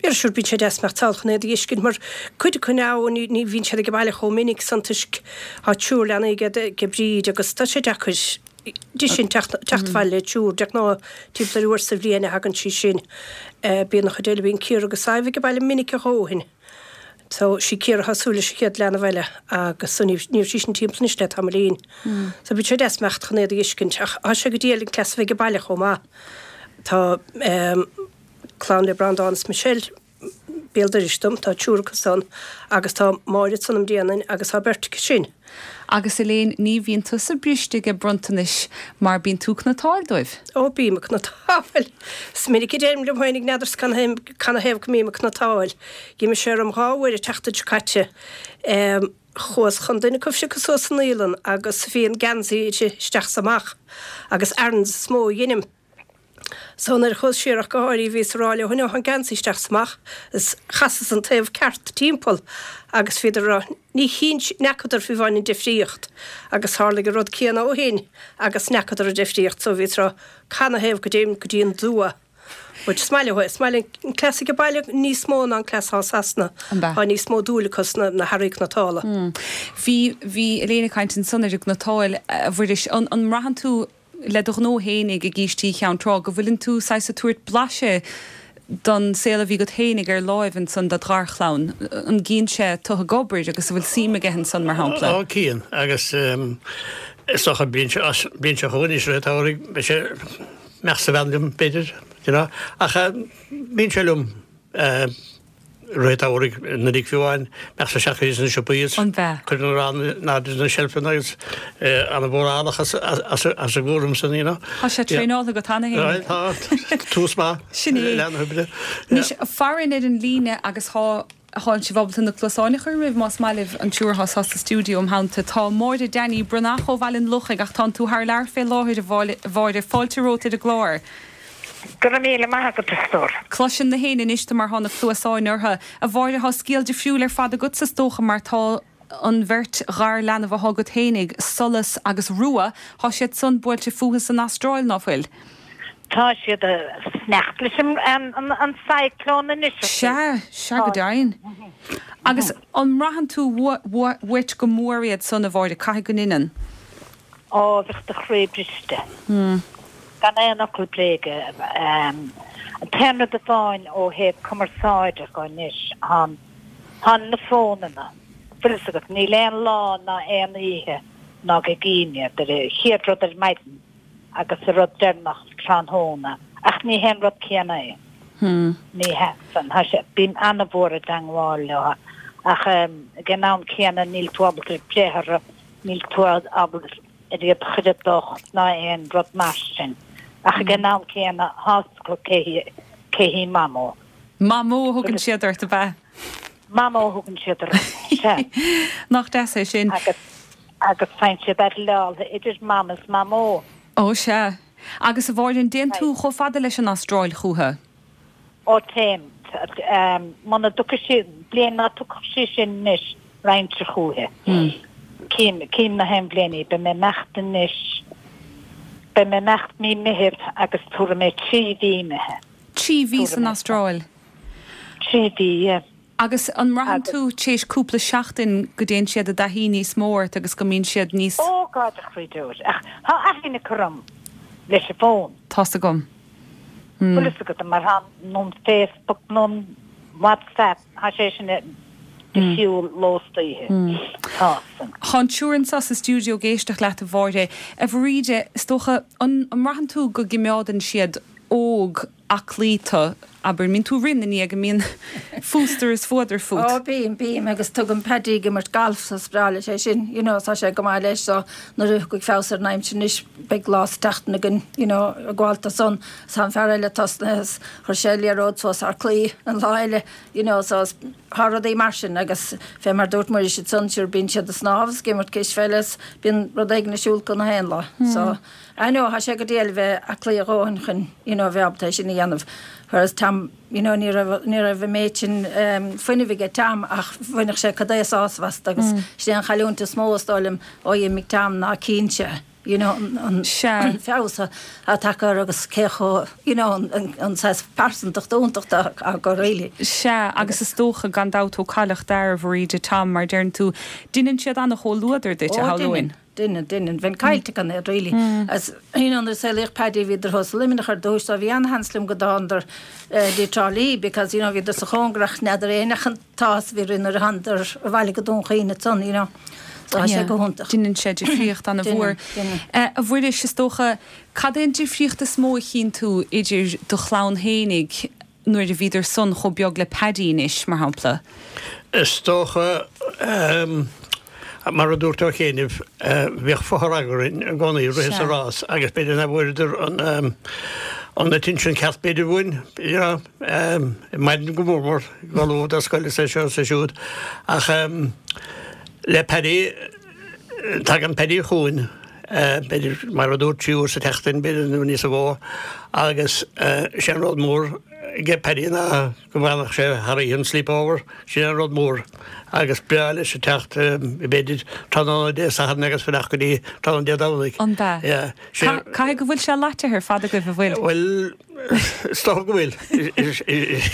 yeah, sure bíonn sé deas imeacht sall chun iad a fheiscint mar cuid acu now ní, ní bhíonn siad ag baile chomh minic san toisc tá triúr leanaí ag, ag Bríd agus tá sé deacair di sin teacht, teacht abhaile le triúr, de ghnáth timpeall ar uair sa bhliain a thagann sí sin. Eh, bíonn an chuid eile, bíonn Ciara agus Sadhbh ag baile minic a dhóthain. So sí Ciara atá ag súil leis an chéad leanbh eile agus so ní ní raibh sí sin timpeall anois le tamaillín. So bíonn sé deas imeacht chun iad a fheiscint ach tá sé go diail an cleas a bheith ag baile chomh maith. Tá um, clann le Breandán is Michelle béal dorais dom, tá triúr acu san agus tá Máire san am Déanainn agus tá beirt acu sin.
Agus Elaine, ní bhíonn tusa briste ag bronntanais mar bíonn tú ag cniotáil dóibh.
Ó bím ag cniotáil. Is minic a deirim liom féinig n'fheadar canathaobh go mbím ag cniotáil. D'imigh sé orm dhá uair an tseachtain seo caite. Um, chuas chun duine acu phiocadh suas sa naíolann agus bhí an geansaí isteach is amach agus errands is mó a dheinim. So nuair a chuas siar ach go háirithe bhíos ag rá leo an geansaí isteach is amach is chasas an taobh ceart timpeall agus bhíodar ag rá ní chinn n'fheacadar fiú amháin an difríocht agus tharlaigh an rud céanna ó shin agus n'fheacadar an difríocht so bhíos ag rá canathaobh go dtéim go dtí an dua. But is maith leo é, is maith linn an cleas ag baile níos mó ná an cleas thall Sasana.
An b'ea?
Tá níos mó dúil acu sna na hearraí cniotála.
Bhí bhí Elaine ag caint ansan ar an gcniotáil a Mhuiris, an an mbraitheann tú le do ghnó fhéinig i gCístí Cheann Trá go bhfuileann tú saghas ag tabhairt blaiseadh don saol a bhí agat fhéinig ar láimh ansan do gharchlann. An gcíonn sé tú ag obair agus an bhfuil suim aige ansan mar shampla?
Ó cíonn agus is dócha bliain seo bliain seo chugainn anois rith an tsamhraidh beidh sé imeacht sa veain liom b'fhéidir you know ach bíonn sé liom Rith an tsamhraidh, Nollaig fiú amháin, bheadh sé isteach sna siopaí is cuir an arán in airde sna seilfeanna agus ana-mhórálach as a gcúram san, you know.
Tá sé traenáilte agat cheana féin.
Tá, tús maith.
Sin é.
Le na hoibre.
Anois, farainn ar an líne agus tá tá sibh ábalta na cluasáin a chur romhaibh más maith libh an triúr atá sa stiúideo im theannta. Tá Máire Danny Breathnach ó Bhaile an Lochaigh ach tánn tú thar lear fé láthair a Mháire. Fáilte romhat ar an gclár.
Go raibh míle maith agat, a stór.
Cloiseann na héinne anois tú mar thá na cluasáin orthu. A Mháire, thá scéal difriúil ar fad agatsa is dócha mar tá an bheirt gharleanbh athá agat fhéinig, Solas agus Rua, thá siad san buailte fúthu san Astráil, ná fuil?
Tá siad ag fanacht leis an cyclone anois.
Sea, sea go deimhin. Agus an mbraitheann tú uait go mór iad san, a Mháire, caithfidh go ndeineann?
Ó, bheadh do chroí briste. Gan aon fhocal bréige. An t-aon rud amháin ó thaobh cumarsáide go anois, thá na fónanna. Bhfuil fhios agat, níl aon lá ná aon oíche ná go gcím iad, an chéad rud ar maidin agus an rud deireanach tráthnóna, ach ní hé an rud céanna é. Ní hea san. Tá sé, bím ana-mhór i dteangmháil leo, ach ag an am céanna níl tú ábalta breith orthu, níl tú ábalta ar iad a chur i dtocht ná aon rud mar sin. Ach ag an am céanna, tá fhios acu cé hí, cé hí Mamó.
Mamó a thugann siad ort, ab ea?
Mamó a thugann siad orm, sea.
Nach deas é sin.
Agus, agus faigheann siad airleáilte idir Mam is Mamó.
Ó sea. Agus a Mháire, an dtéann tú chomh fada leis an Astráil chúthu?
Ó téim. Muna dtiocfaidh sí, bliain ná tiocfadh sí sin anois, raghainnse chúithi. Cím, cím na haon bhliain í. Beidh mé imeacht anois, beidh mé imeacht mí Meithimh agus tabharfaidh mé trí mhí imithe.
Trí mhí san Astráil?
Trí mhí, yeah.
Agus an mbraitheann tú tar éis cúpla seachtain go dtéann siad i dtaithí níos mó ort agus go mbíonn siad níos.
Ó God a chroí deoir, ach tá aithne acu orm leis an bhfón.
Tá's agam.
Bhfuil fhios agat mar tá nó an Facebook nó an WhatsApp, tá sé sin de shiúl ló is oíche. Tá san.
Tá an triúr anseo sa stiúideo ag éisteacht leat a Mháire. A Bhríde, is dócha, an mbraitheann tú go gcimeádann siad óg aclaí tú, abair, mbíonn tú ag rith ina ndiaidh, go mbíonn fústar is fuadar fút?
Ó bím, bím agus tugaim Paddy ag imirt galf so is breá leis é sin, you know, tá sé go maith leis so nuair a thiocfaidh feabhas ar an aimsir anois beidh lá sa tseachtain againn, you know, ag gabháil do san, is tá an fear eile tosnaithe is chuir sé liathróid suas thar claí an lá eile, you know, so is tá rudaí mar sin agus fé mar dúirt Muiris ansan sure bíonn siad ag snámh is ag imirt cispheile is bíonn rud éigin ar siúl acu na haon lá so I know tá sé go diail bheith aclaí a dhóthain chun you know bheith ábalta é sin a dhéanamh whereas Tom you know ní raibh ní raibh an méid sin um, fuinnimh aige Tom ach bhainfeadh sé cad é sásamh as agus mm. sin an chailliúint is mó is dóigh liom ó d'imigh Tom ná cinnte you know an, an
Sea.
feabhas atá tagtha air agus cé chomh you know an, an, an saghas pearsantacht iontach aige really.
Sea, agus is dócha gan dabht ó cailleadh d'fhear a Bhríde, Tom, mar deireann tú, deineann siad an-chomhluadar duit, a
Ó,
shamhlóinn.
deineann, deineann, deineann. Bheinn caillte gan iad really. As, you know, nuair a saolaíodh Paddy bhíodar thuas i Luimneach ar dtús, so bhí an-sheans liom go dtánadar eh, dtí Trá Lí because, you know, bhíodar sa chóngar ach n'fheadar éinne an t-ádh a bhí orainn nuair a thánadar abhaile go Dún Chaoin ansan, you know. So tá sé go hiontach.
Deineann sé difríocht an-mhór.
Deineann, deineann.
A Mhuiris, is dócha, cad é an difríocht is mó a chíonn tú idir do chlann fhéinig nuair a bhíodar san chomh beag le Paddy anois, mar shampla?
Is dócha, mar a dúirt ó chianaibh, bhíodh fothar againn i gcónaí rith is
Sea.
a rás agus b'fhéidir nach bhfuaireadar an an attention ceart b'fhéidir uainn, you know, ar maidin go mór mór, go luath do scoil is é seo is é siúd. Ach le Paddy, tagann Paddy chugainn, b'fhéidir, mar a dúirt, trí uair sa tseachtain, b'fhéidir, nó níos mó, agus sé an rud mór ag Paddy ná go bhfanfadh sé thar oíche, an sleepover, sin an rud mór. Agus breá leis a teacht, b'fhéidir, tráthnóna Dé Sathairn agus fanacht go dtí tráthnóna Dé Domhnaigh.
An b'ea?
Yeah. Sé.
Caithfidh go bhfuil sé leaite ar fad agaibh, an bhfuil?
Bhuel, is dócha go bhfuil. Is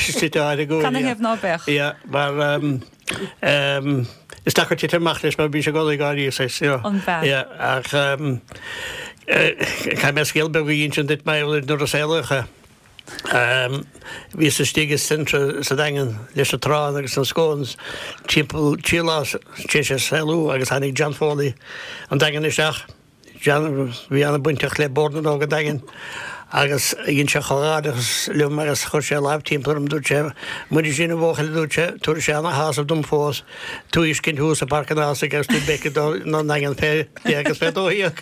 slite áirithe go bhfuil,
Cad 'na
yeah.
thaobh ná beadh?
Yeah, mar is deacair titim amach leis mar bíonn sé i gcónaí ag gáirí saghas, you know.
An b'ea?
Yeah, ach caithfidh mé scéal beag a insint duit mar nuair a saolaíodh é. Bhíos istigh i Centra sa Daingean leis an arán agus na scones timpeall trí lá tar éis é saolú agus tháinig John Foley an Daingean isteach. John, bhí an-bainteach le Bord na nÓg an Daingin Agus dhein sé comhghairdeachas liom agus chuir sé a lámh timpeall orm, dúirt sé, Muirisín a bhuachaill, a dúirt sé, tabharfaidh sé ana-shásamh dom fós tú a fheiscint thuas i bPáirc an Ághasaigh agus tú béicigh don nDaingean fé deich agus fé dó dhéag.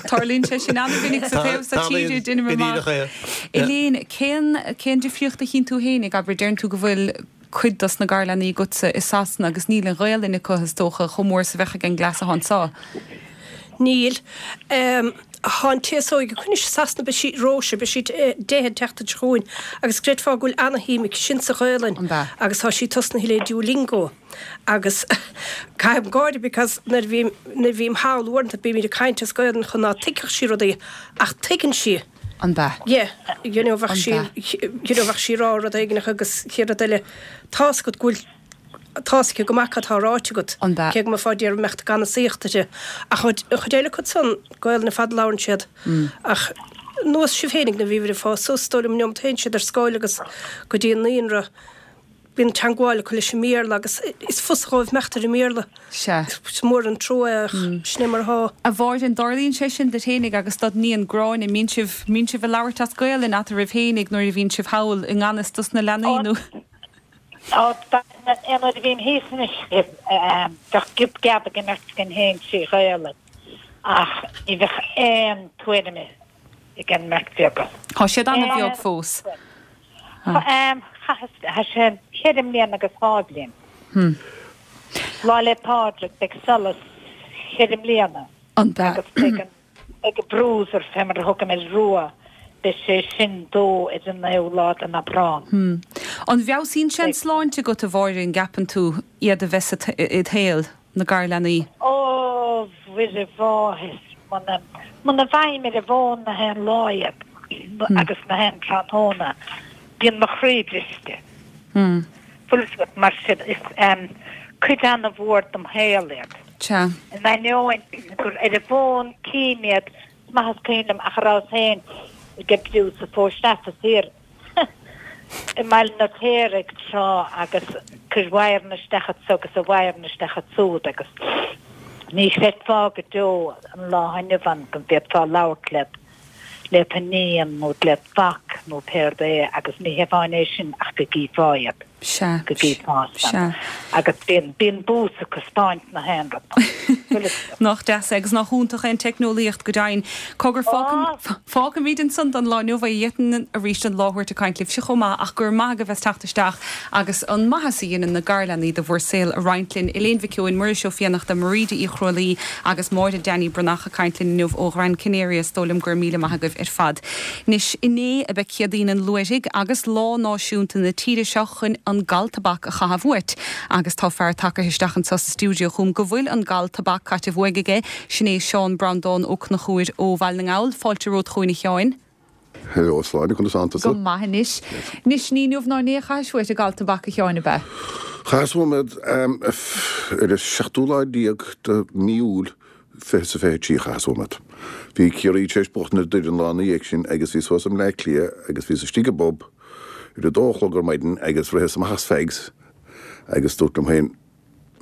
Tarlaíonn sé sin an-mhinic sa taobh so tíre, deinim amach. Elaine, cén, cén difríocht a chíonn tú fhéinig, abair, deireann tú go bhfuil cuid dos na garleanaí agatsa i Sasana agus níl an Ghaelainn acu, is dócha, chomh mór is a bheadh ag an gcleas atá anso.
Níl. Tá an té is óige acu anois i Sasana, beidh sí, Róise, beidh sí deich an tseachtain seo chugainn agus creidfeá go bhfuil ana-shuim aici sin sa Ghaelainn agus tá sí tosnaithe le Duolingo agus caithim gáire because nuair a bhím, nuair a bhím thall uaireanta bímid ag caint as Gaelainn chun ná tuigfeadh sí rudaí ach tuigeann sí.
An b'ea?
Yeah, you know bheadh sí, you know bheadh sí ag rá rud éigin agus chéad rud eile tá's agat go bhfuil Tá's aici go maith cad tá ráite agat,
An b'ea?
cé go mbeifeá ag iarraidh imeacht ag anasaíocht uirthi. Ach an chuid eile acu san, Gaelainn ar fad a labhrann siad. Ach nós sibh féinig nuair a bhíobhair ag fás suas, is dóigh liom, an neomat a théann siad ar scoil agus go dtí an naíonra, bíonn teangmháil acu leis an mBéarla agus is fusa dhóibh imeacht ar an mBéarla.
Sea.
Is mór an trua é ach sin é mar atá.
A Mháire, an dtarlaíonn sé sin duit fhéinig agus dod níon Gráinne, mbíonn sibh, mbíonn sibh ag labhairt as Gaelainn eatarthu fhéinig nuair a bhíonn sibh thall i ngan fhios dos na leanaí nó?
Ó, aon uair a bhím thíos anois, bheadh giob geab ag an mbeirt againn féin trí Ghaelainn, ach ní bheadh aon tuairim ag an mbeirt bheaga.
Tá siad an-bheag fós.
Tá sé ceithre mbliana agus dhá bhliain. Lá 'le Pádraig beidh Solas ceithre mbliana agus beidh an Beidh an Bruiser, fé mar a thugaim air, rua, beidh sé sin dó ar an naoú lá den Aibreán.
An bhfeabhsaíonn sé an tsláinte agat, a Mháire, an gceapann tú, iad a bheith id shaol, na garleanaí?
Ó, Mhuire Mháthair, muna, muna bhfaighim ar an bhfón na haon lá iad, agus na haon tráthnóna, bíonn mo chroí briste. Bhfuil fhios agat, mar sin, is cuid ana-mhór dem shaol iad.
Sea.
In ainneoin gur ar an bhfón cím iad, is maith is cuimhin liom ach a rabhas féin ag oibriú sa Phost Office thiar i mBaile an Fheirtéaraigh tráth agus cuir wire-anna isteach anso agus a wire-anna isteach ansúd agus ní chreidfeá go deo an lá inniu ann go bhféadfá labhairt le le d'iníon nó le do mhac nó pé rud é agus ní hamháin é sin ach go gcífeá iad,
Sea,
go gcífeá san.
sea.
Agus bíonn, bíonn bús ag taispeáint na haon rud. Bhfuil fhios agat.
Nach deas é agus nach iontach é an teicneolaíocht go deimhin. Cogar,
Á!
fágfaimid ansan don lá inniu é. D'fhéadfainn arís an lá a thabhairt ag caint libhse chomh maith ach go raibh maith agaibh as teacht isteach agus an maitheas a dhéanann na garleanaí do bhur saol a roinnt linn. Elaine Mhic Eoin, Muiris Ó Fiannachta, Mairíde Uí Chrualaoi agus Máire Danny Breathnach ag caint linn inniu ó Ghran Canaria. Is dóigh liom go raibh míle maith agaibh ar fad. Anois, inné ab ea Céadaoin an Luaithrigh agus lá náisiúnta na tíre seo chun an gal tobac a chaitheamh uait. Agus tá fear tagaithe isteach anseo sa stiúideo chugam go bhfuil an gal tobac caite uaidh aige, sin é Seán Breandán Ó Conchúir ó Bhaile na nGall. Fáilte romhat chugainn a Sheáin.
Hello, Sláine, conas tánn tusa?
Go maith anois. Anois, ní inniu ná inné a chaithis uait an gal tobac a Sheáin, ab ea?
Chaitheas uaim iad ar an seachtú lá déag de mí Iúil fiche is a fiche trí chaitheas uaim iad. Bhí Ciarraí tar éis buachtaint ar Doire an lá ina dhiaidh sin agus bhíos thuas i mBleá Cliath agus bhíos istigh i bpub ar a dó a chlog ar maidin agus ritheas amach as fags agus dúrt liom féin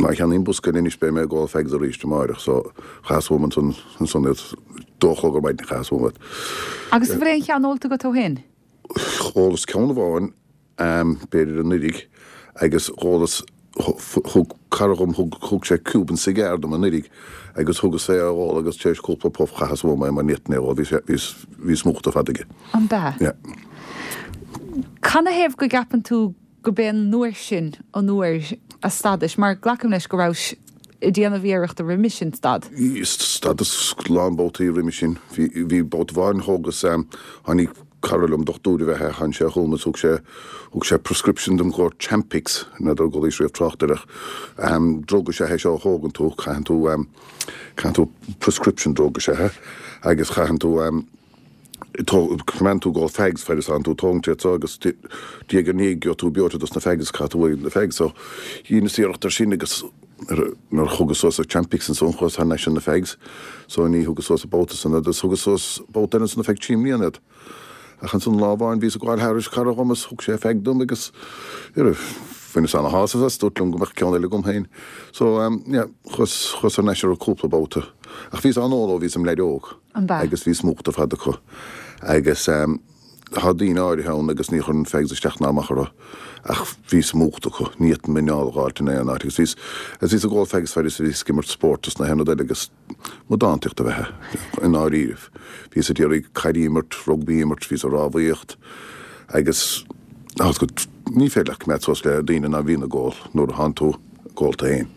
Má cheannaím bosca eile anois beidh mé ag ól fags arís amáireach so chaitheas uaim ansan ansan iad dó a chlog ar maidin chaitheas uaim iad.
Agus an bhfuil aon cheann ólta agat ó shin?
Dhólas ceann amháin b'fhéidir anuiridh agus dhólas thug cara dhom thug thug sé Cuban cigar dom anuiridh agus thugas é a dh'ól agus tar éis cúpla puff chaitheas uaim é mar ní fhéadfainn é a dh'ól bhí sé bhí bhíos múchta ar fad aige.
An b'ea?
Yeah.
Canathaobh go gceapann tú go b'é an uair sin an uair a stadais, mar glacaim leis go rabhais ag déanamh iarrachta roimhe sin stad.
Stadas lán babhtaí roimhe sin. Bhí, bhí babhta amháin thógas, tháinig cara liom, dochtúir ab ea é, tháinig sé chugam agus thug sé, thug sé prescription dom go Champix, n'fheadar an gcualaís riamh trácht air ach drug is ea é seo a thógann tú, caitheann tú, caitheann tú prescription drug is ea é agus caitheann tú, Coimeádann tú ag ól fags fad is atánn tú ag tógaint iad so agus diaidh ar ndiaidh gheobhaidh tú breoite dos na fags is caithfidh tú uaidh na fags so dheineas iarracht ar sin agus nuair a thugas suas an Champix ansan chuas thar n-ais ar na fags so ní thugas suas an babhta san iad agus thugas suas babhta eile ansan ar feadh trí mbliana iad ach ansan lá amháin bhíos ag gabháil thairis cara dhom is thug sé fag dom agus bhaineas ana shásamh as dúirt liom go mbeadh ceann eile agam féin so yeah chuas chuas thar n-ais orthu cúpla babhta ach bhíos á n-ól ó bhíos im leaid óg.
An b'ea?
Agus bhíos múchta ar fad acu. Agus tá daoine áirithe ann agus ní chuireann fags isteach ná amach orthu ach bhíos múchta acu, ní fhéadfainn m'anáil a dh'fháilt in aon áit agus bhíos, agus bhíos ag ól fags fad is a bhíos ag imirt spóirt is na haon rud eile agus amadántaíocht ab ea é i ndáiríribh. Bhíos ag iarraidh caid a imirt, rugbaí a imirt, bhíos ag rámhaíocht agus ní féidir leat coimeád suas le daoine ná bhíonn ag ól nuair a thánn tú ag ól tú fhéin.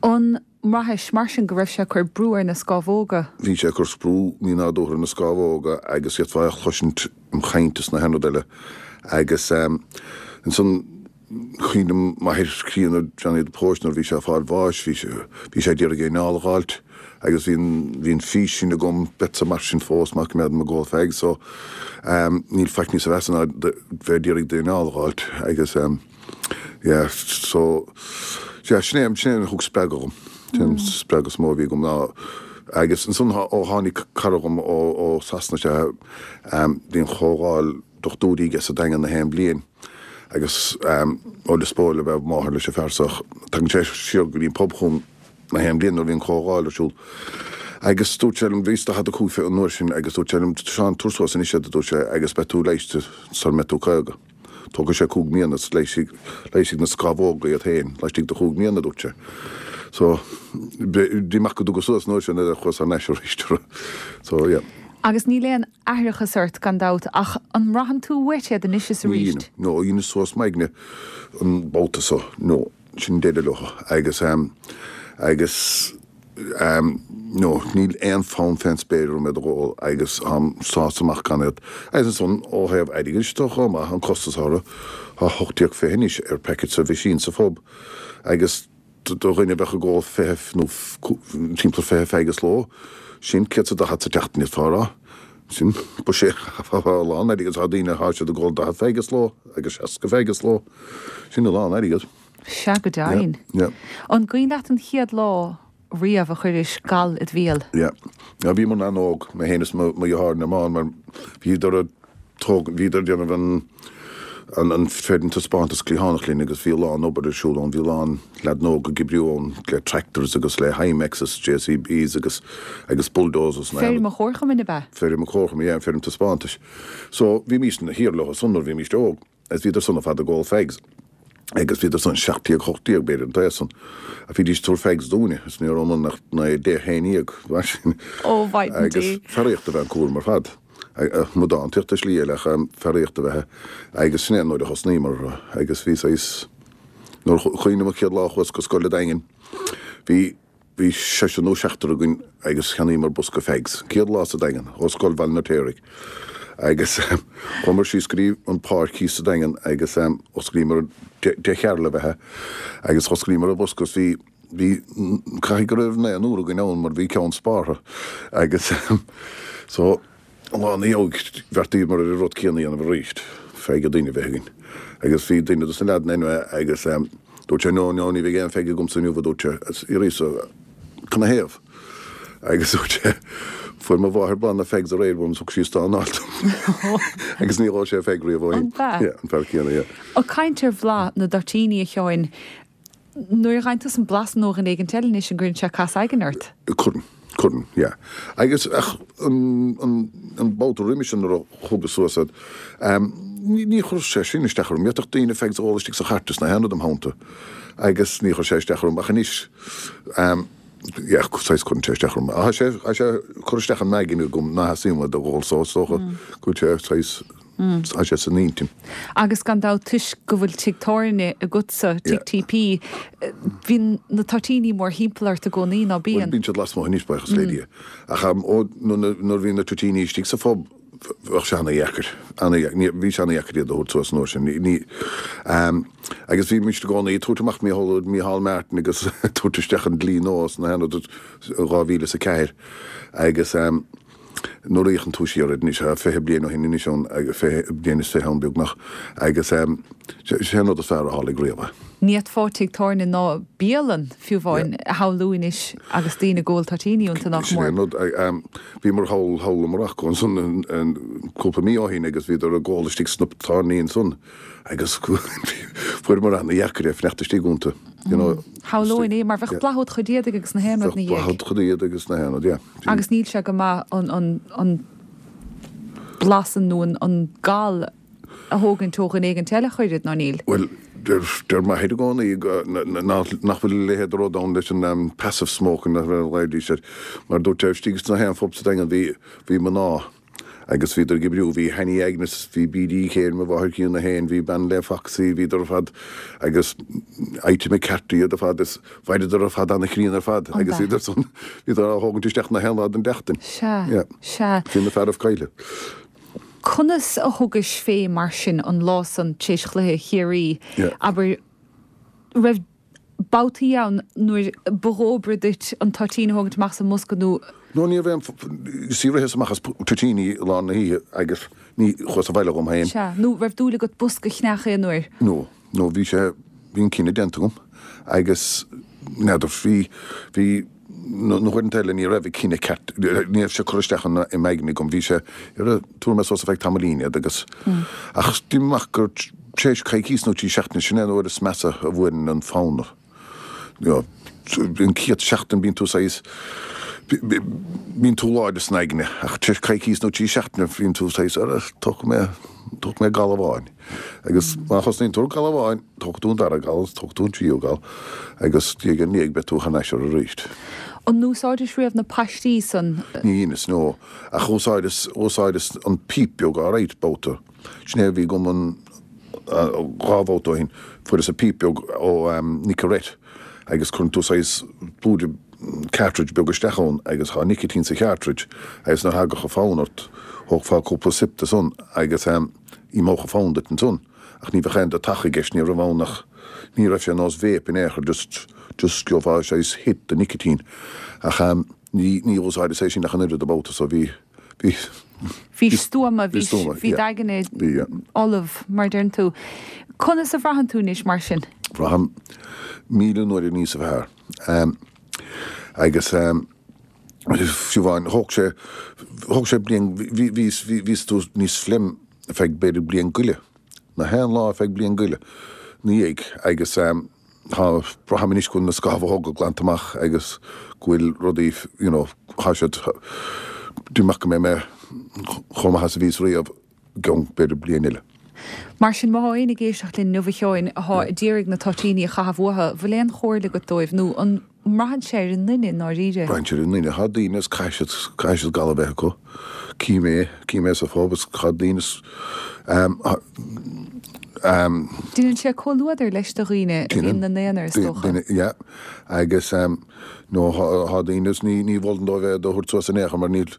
An mbraithis mar sin go raibh sé ag cur brú ar na scámhóga?
Bhí sé ag cur brú mínádúrtha ar na scámhóga agus d'fhéadfá é a chloisint im chaint is na haon rud eile agus ansan cuimhním m'athair críonna Johnny the Post nuair a bhí sé ag fáil bháis bhí sé bhí sé d'iarraidh a anáil a dh'fháilt agus bhí an bhí an fís sin agam beadsa mar sin fós má coimeádaim ag ól fags so níl faic níosa mheasa ná bheith d'iarraidh d'anáil a dh'fháilt agus yeah so yeah sin é sin é a thug spreagadh dhom. Sin an spreagadh is mó a bhí agam ná agus ansan ó tháinig cara dhom ó ó Sasana sé bhí an chomhdháil dochtúirí aige sa Daingean na haon bliain agus ó Lios Póil ab ea máthair leis an fear so tagann sé siar go dtí an pub chugam na haon bliain nuair a bhí an chomhdháil ar siúl agus dúirt sé liom bhíos daichead a cúig an uair sin agus dúirt sé liom Seán tabhair suas anois iad a dúirt sé agus beidh tú leighiste sar mbeidh tú caoga. Tógfaidh sé cúig mbliana is leigheasfaidh leigheasfaidh na scamhóga iad féin laistigh de chúig mbliana, a dúirt sé. So, bhí amach go dtuga suas an uair sin ar chuas thar n-ais arís. So, yeah.
Agus níl aon aithreachas ort, gan dabht, ach an mbraitheann tú uait iad anois is
Ní
arís?
dheinim. No, dheineas suas m'aigne an babhta so. No, sin deireadh leo. Agus, agus. No, níl aon fonn fén spéir orm iad a dh'ól agus táim sásta amach gan iad. Agus ansan, ó thaobh airgid de chomh maith, an costas orthu, tá hocht déag fiche anois ar packet sa mheaisín sa phub agus do dhuine a bheadh ag ól fiche nó timpeall fiche fag sa ló, sin céad 's a daichead sa tseachtain d'fhéadfá a rá. Sin buiséad a lán airgid. Tá daoine, tá siad ag ól daichead fag sa ló agus seasca fag sa ló. Sin a lán airgid.
Sea, go deimhin.
Yeah, yeah.
An cuimhin leat an chéad lá riamh a chuiris gal id bhéal?
Yeah. Now bhíomar an-óg, mé féin is mo dheartháir Normán, mar bhíodar ag tóg, bhíodar ag déanamh an, an, an feirm taispeántas cliathánach linn agus bhí a lán obair ar siúl ann, bhí a lán leaideanna óga ag oibriú ann le tractors agus le Hymexes, JCBs agus, agus bulldozers
na. Feirm an Chomharchumainn ab ea?
Feirm an Chomharchumainn, yeah, an feirm taispeántais. So bhímís thiar leo san nuair a bhímís óg agus bhíodar san ar fad ag ól fags. Agus bhíodar san seacht déag, hocht déag, b'fhéidir, an t-aos san. Ach bhídís ag tabhairt fags dúinne, is ní rabhamar ach naoi, deich, haon dhéag, mar sin.
Ó, mhaighdean
Agus
Dé.
fearaíocht ab ea an cúram ar fad. Amadántaíocht i slí eile ach fearaíocht ab ea é. Agus sin é an uair a thosnaíomar agus bhí saghas, nuair a cuimhním an chéad lá a chuas go scoil an Daingin, bhí, Bhí seisear nó seachtar againn agus cheannaíomar bosca fags. Céad lá sa Daingean, ó Scoil Bhaile an Fheirtéaraigh. Agus chuamar síos go dtí an páirc thíos sa Daingean agus osclaíomar, deich chearl ab ea é, agus osclaíomar an bosca agus bhí, bhí, caithfidh go raibh naonúr againn ann mar bhí ceann spártha agus so, An lá ina dhiaidh, bheartaíomar ar an rud céanna a dhéanamh arís, fag an duine a bheith againn. Agus bhí duine dos na leaideanna anyway agus dúirt sé, no, no, ní bheidh aon fag agamsa inniu, a dúirt sé. Agus fhiafraíos canathaobh? Agus dúirt sé, fuair mo mháthair bláth na fags aréir uaim is thug sí stán anáil dom. Agus ní dh'ól sé fag riamh ó shin.
An b'ea?
Yeah, an fear céanna, yeah.
Ag caint ar bhlath na dtoitíní, a Sheáin, Nuair a fhaigheann tusa an blas ó dhuine éigin eile anois an gcuireann sé casadh aigne ort?
Cuireann, cuireann, yeah. Agus ach an, an, an babhta roimis sin nuair a thugas suas iad, ní, ní chuir sé sin isteach orm. D'fhéadfadh daoine fags a ól istigh sa chairt is nach aon rud im theannta agus ní chuir sé isteach orm. Ach anois, yeah, saghas cuireann sé isteach orm. Tá sé, tá sé ag cur isteach ar m'aigne agam ná theastaíonn uaim iad a dh'ól so is dócha go bhfuil sé saghas, Tá sé san intinn.
Agus gan dabht toisc go bhfuil tigh tábhairne agatsa, Tigh TP, bíonn na toitíní mórthimpeall ort i gcónaí, ná
Bhuel,
bíonn?
bíonn siad lasmuigh anois, buíochas le Dia. Ach ó nuair a bhí na toitíní istigh sa phub, bheadh sé ana-dheacair, ana-dheacair, ní, bhí sé ana-dheacair iad a thabhairt suas an uair sin. Ní, ní, agus bhí mise i gcónaí ag tabhairt amach Mícheál, Mícheál Martin agus tabhairt isteach an dlí nua sna dhá mhíle is a ceathair agus, Nuair a fhéachann tú siar air anois, tá fiche bliain ó shin anois ann, fiche bliain is fiche ann beagnach, agus sé an rud is fearr a tharlaigh riamh é.
Ní fhéadfá tigh tábhairne ná bialann, fiú amháin, a shamhlú anois agus daoine ag ól toitíní iontu, nach
Sin é
mór.
an rud. Bhíomar thall, thall i Morocco ansan cúpla mí ó shin agus bhíodar ag ól istigh sna tábhairní ansan agus fuaireamar ana-dheacair é fanacht istigh iontu, you know.
Shamhlóinn é, mar bheadh bladh a'd chuid éadaigh agus na haon rud
Bheadh
ina
bladh
dhiaidh.
a'd chuid éadaigh agus na haon rud, yeah.
Agus níl sé go maith an, an, an blas nó an gal a thógaint ó dhuine éigint eile ach oiread, ná níl?
Bhuel, deir deir m'athair i gcónaí nach nach bhfuil a leithéid de rud ann leis an passive smoking a ghlaoidís air, mar dúirt sé istigh sna haon phub sa Daingean bhí bhí mná agus bhíodar ag oibriú, bhí Hanny Agnes, bhí B.D. Kane, mo mháthair críonna féin, bhí bean le Foxy, bhíodar ar fad agus Ita McCarthy iad ar fad is bheireadar ar fad ana-chríonna ar fad agus bhíodar san bhíodar á thógaint isteach na haon lá den tseachtain.
Sea, sea.
Bhí na fearaibh caillte.
Conas a thugais fé mar sin an lá san tar éis chluiche Chiarraí, abair, raibh babhtaí ann nuair ba dhóbair duit an toitín a thógaint amach as an mbosca nó.
No ní raibh aon, you see ritheas amach as toitíní i lár na hoíche agus ní chuas abhaile dhom féin.
Sea, nó raibh dúil agat bosca a cheannach aon uair?
No, no bhí sé, bhí an cinneadh déanta agam agus n'fheadar, bhí, bhí, na huaireanta eile ní raibh an cinneadh ceart, ní raibh sé curtha isteach i m'aigne agam, bhí sé, tabharfaidh mé suas ar feadh tamaillín iad agus, ach d'imigh amach gur tar éis coicís nó trí seachtaine, sin é an uair is measa a bhuaileann an fonn. An chéad seachtain bíonn tú saghas, bíonn tú láidir san aigne, ach tar éis coicís nó trí seachtaine bíonn tú saghas, ara, tógfaidh mé, tógfaidh mé gal amháin. Agus má thosnaíonn tú ar gal amháin, tógfaidh tú an dara gal agus tógfaidh tú an tríú gal agus diaidh ar ndiaidh beidh tú thar n-ais air arís.
An úsáidis riamh na paistí san?
Ní dheineas, no. Ach úsáideas, úsáideas an píp beag alright, babhta. Sin é a bhí agam an dhá bhabhta ó shin. Fuaireas an píp beag ó Nicorette agus cuireann tú saghas blúire cartridge beag isteach ann agus thá nicotine sa chartridge agus nuair a thagadh an fonn ort thógfá cúpla sip de san agus imeodh an fonn duit ansan. Ach ní bheadh aon deatach i gceist, ní raibh ann ach, ní raibh sé nós vape in aon chor, just, just gheofá saghas hit de nicotine. Ach ní, ní úsáideas é sin ach an oiread an babhta so bhí, bhí,
Bhís stuama, bhí bhí d'aigne ullamh, mar a deireann tú. Conas a bhraitheann tú anois mar sin?
Braithim míle uair níos fearr. Agus fiú amháin, thóg sé, thóg sé bliain, bhí, bhí, bhíos tú níos slim ar feadh b'fhéidir bliain go leith. Na haon lá ar feadh bliain go leith ina dhiaidh agus tá, braithim anois go bhfuil na scamhóga glanta amach agus go bhfuil rudaí, you know, tá siad, deirim go mbeidh mé chomh maith is a bhíos riamh i gceann b'fhéidir bliain eile.
Mar sin, má thá éinne ag éisteacht linn inniu a Sheáin athá ag iarraidh na toitíní a chaitheamh uathu, bhfuil aon chomhairle agat dóibh nó an mbraitheann sé ar an nduine i ndáiríre?
Braitheann sé ar an nduine. Thá daoine is caithfidh siad, caithfidh siad gal a bheith acu. Cím é, cím é sa phub is thá daoine is ehm, ehm.
Déanann sé comhluadar leis do dhaoine a bhíonn ina n-aonar is dócha.
Duine, yeah. Agus ehm, nó thá daoine is ní, ní mholfainn dóibh é a thabhairt suas in aon chor mar níl,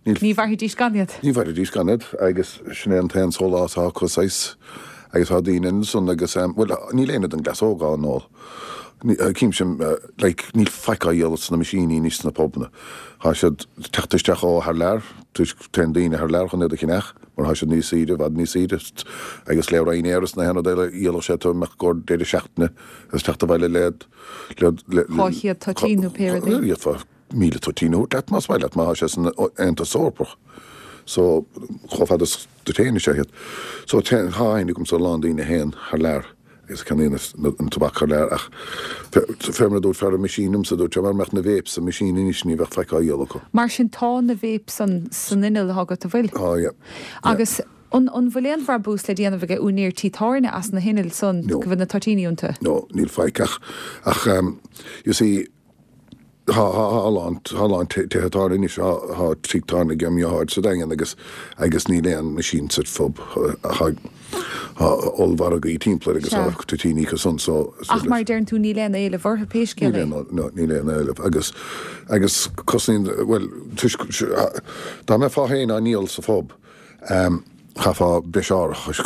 níl.
Ní mhairfidís gan iad.
Ní mhairfidís gan iad agus sin é an t-aon sólás atá acu saghas. Agus thá daoine ansan agus ehm, bhuel, níl éinne den gcleas óg á n-ól. Címse, like, níl faic á dhíol sna meaisíní anois sna pubanna. Thá siad ag teacht isteach ó thar lear, toisc téann daoine thar lear chun iad a cheannach mar thá siad níos saoire, i bhfad níos saoire agus le Ryanair is na haon rud eile dhíolfadh sé tú imeacht i gcomhair deireadh seachtaine agus teacht abhaile le, le, le,
Dhá chéad toitín nó pé rud é.
D'fhéadfá míle toitín a thabhairt leat más maith leat má thá sé san Aontas Eorpach. So, chomh fada is duit féin is ea iad. So, téann, thá aithne agamsa ar a lán daoine a théann thar lear agus a cheannaíonn an tobac thar lear ach fé mar a dúirt fear an machine liomsa, dúirt sé mara mbeadh na vapes sa machine anois ní bheadh faic á dhíol acu.
Mar sin tá na vapes san san inneall atá agat, an bhfuil?
Tá, yeah.
Agus an an bhfuil aon bhrabús le déanamh ag úinéir tí tábhairne as na hinnill san
No.
go bhfuil na toitíní iontu?
No, níl faic ach ach um, you see Tá a lán tá a lán tithe tábhairne anois, tá tigh tábhairne ag mo dheartháir sa Daingean agus agus níl aon machine sa phub ach tá ollmhargaí timpeall air agus tá toitíní acu san so
Ach mar a deireann tú níl aon éileamh orthu pé scéal é.
Níl aon no níl aon éileamh agus agus cosnaíonn bhuel toisc dá mbeifeá féin á ndíol sa phub Chaithfeá breis árachais,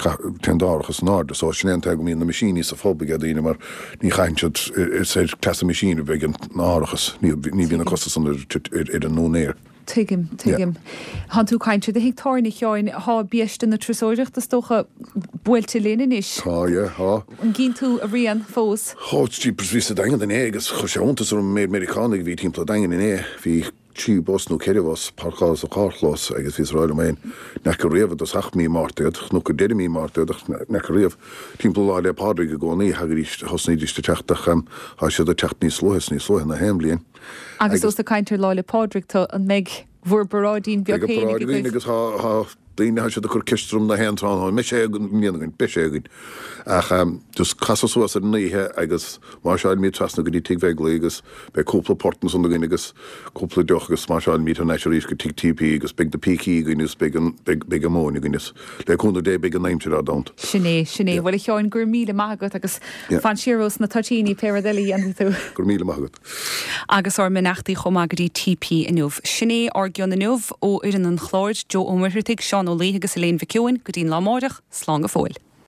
téann d'árachas in airde, so sin é an tuige go mbíonn na meaisíní sa phub ag daoine mar ní chaitheann siad, is ar cleas an meaisín a bheidh an árachas, ní bhíonn an costas san ar an úinéir.
Tuigim, tuigim. Thánn tú ag caint ar do thigh tábhairne a Sheáin, thá biaiste na turasóireachta is dócha buailte linn anois.
Tá, yeah, tá.
An gcíonn tú a rian fós?
Ó, jeepers, bhíos sa Daingean inné agus chuir sé iontas orm an méid Meiriceánaigh a bhí timpeall an Daingin inné. Bhí. trí bhus nó ceithre bhus páirceáilte sa charrchlós agus bhíos ag rá liom féin, n'fheaca riamh i dtosach mí Márta iad, nó go deireadh mí Márta iad ach n'fheaca riamh. Timpeall Lá 'le Pádraig i gcónaí thagaidís, thosnaídís ag teacht ach tá siad ag teacht níos luaithe is níos luaithe na haon bhliain.
Agus ós ag caint ar Lá 'le Pádraig tú, an mbeidh bhur bparáidín beag
Beidh an
féinig
paráid againn
agaibh?
agus tá Daoine, tá siad ag cur ceist orm na haon tráth, an mbeidh sé againn i mbliana againn, beidh sé againn. Ach just casadh suas ar an oíche agus máirseáilmid trasna go dtí Tigh Bheiglaí agus beidh cúpla port ansan againn agus cúpla deoch agus máirseáilmid thar n-ais arís go Tigh TP agus beidh na pící againn agus beidh an, beidh, beidh an mhóin againn is le cúnamh Dé beidh an aimsir ár dteannta.
Sin é, sin é. Bhuel a Sheáin, go raibh míle maith agat agus fan siar ós na toitíní pé rud eile a dhéanfaidh tú.
Go raibh míle maith agat.
Agus ár mbeannachtaí chomh maith go dtí TP inniu. Sin é ár gcion inniu ó fhoireann an chláir, Joe Ó Muircheartaigh, Seán Ó Laoithe agus Elaine Mhic Eoin, go dtí'n lá amáireach, slán go fóill.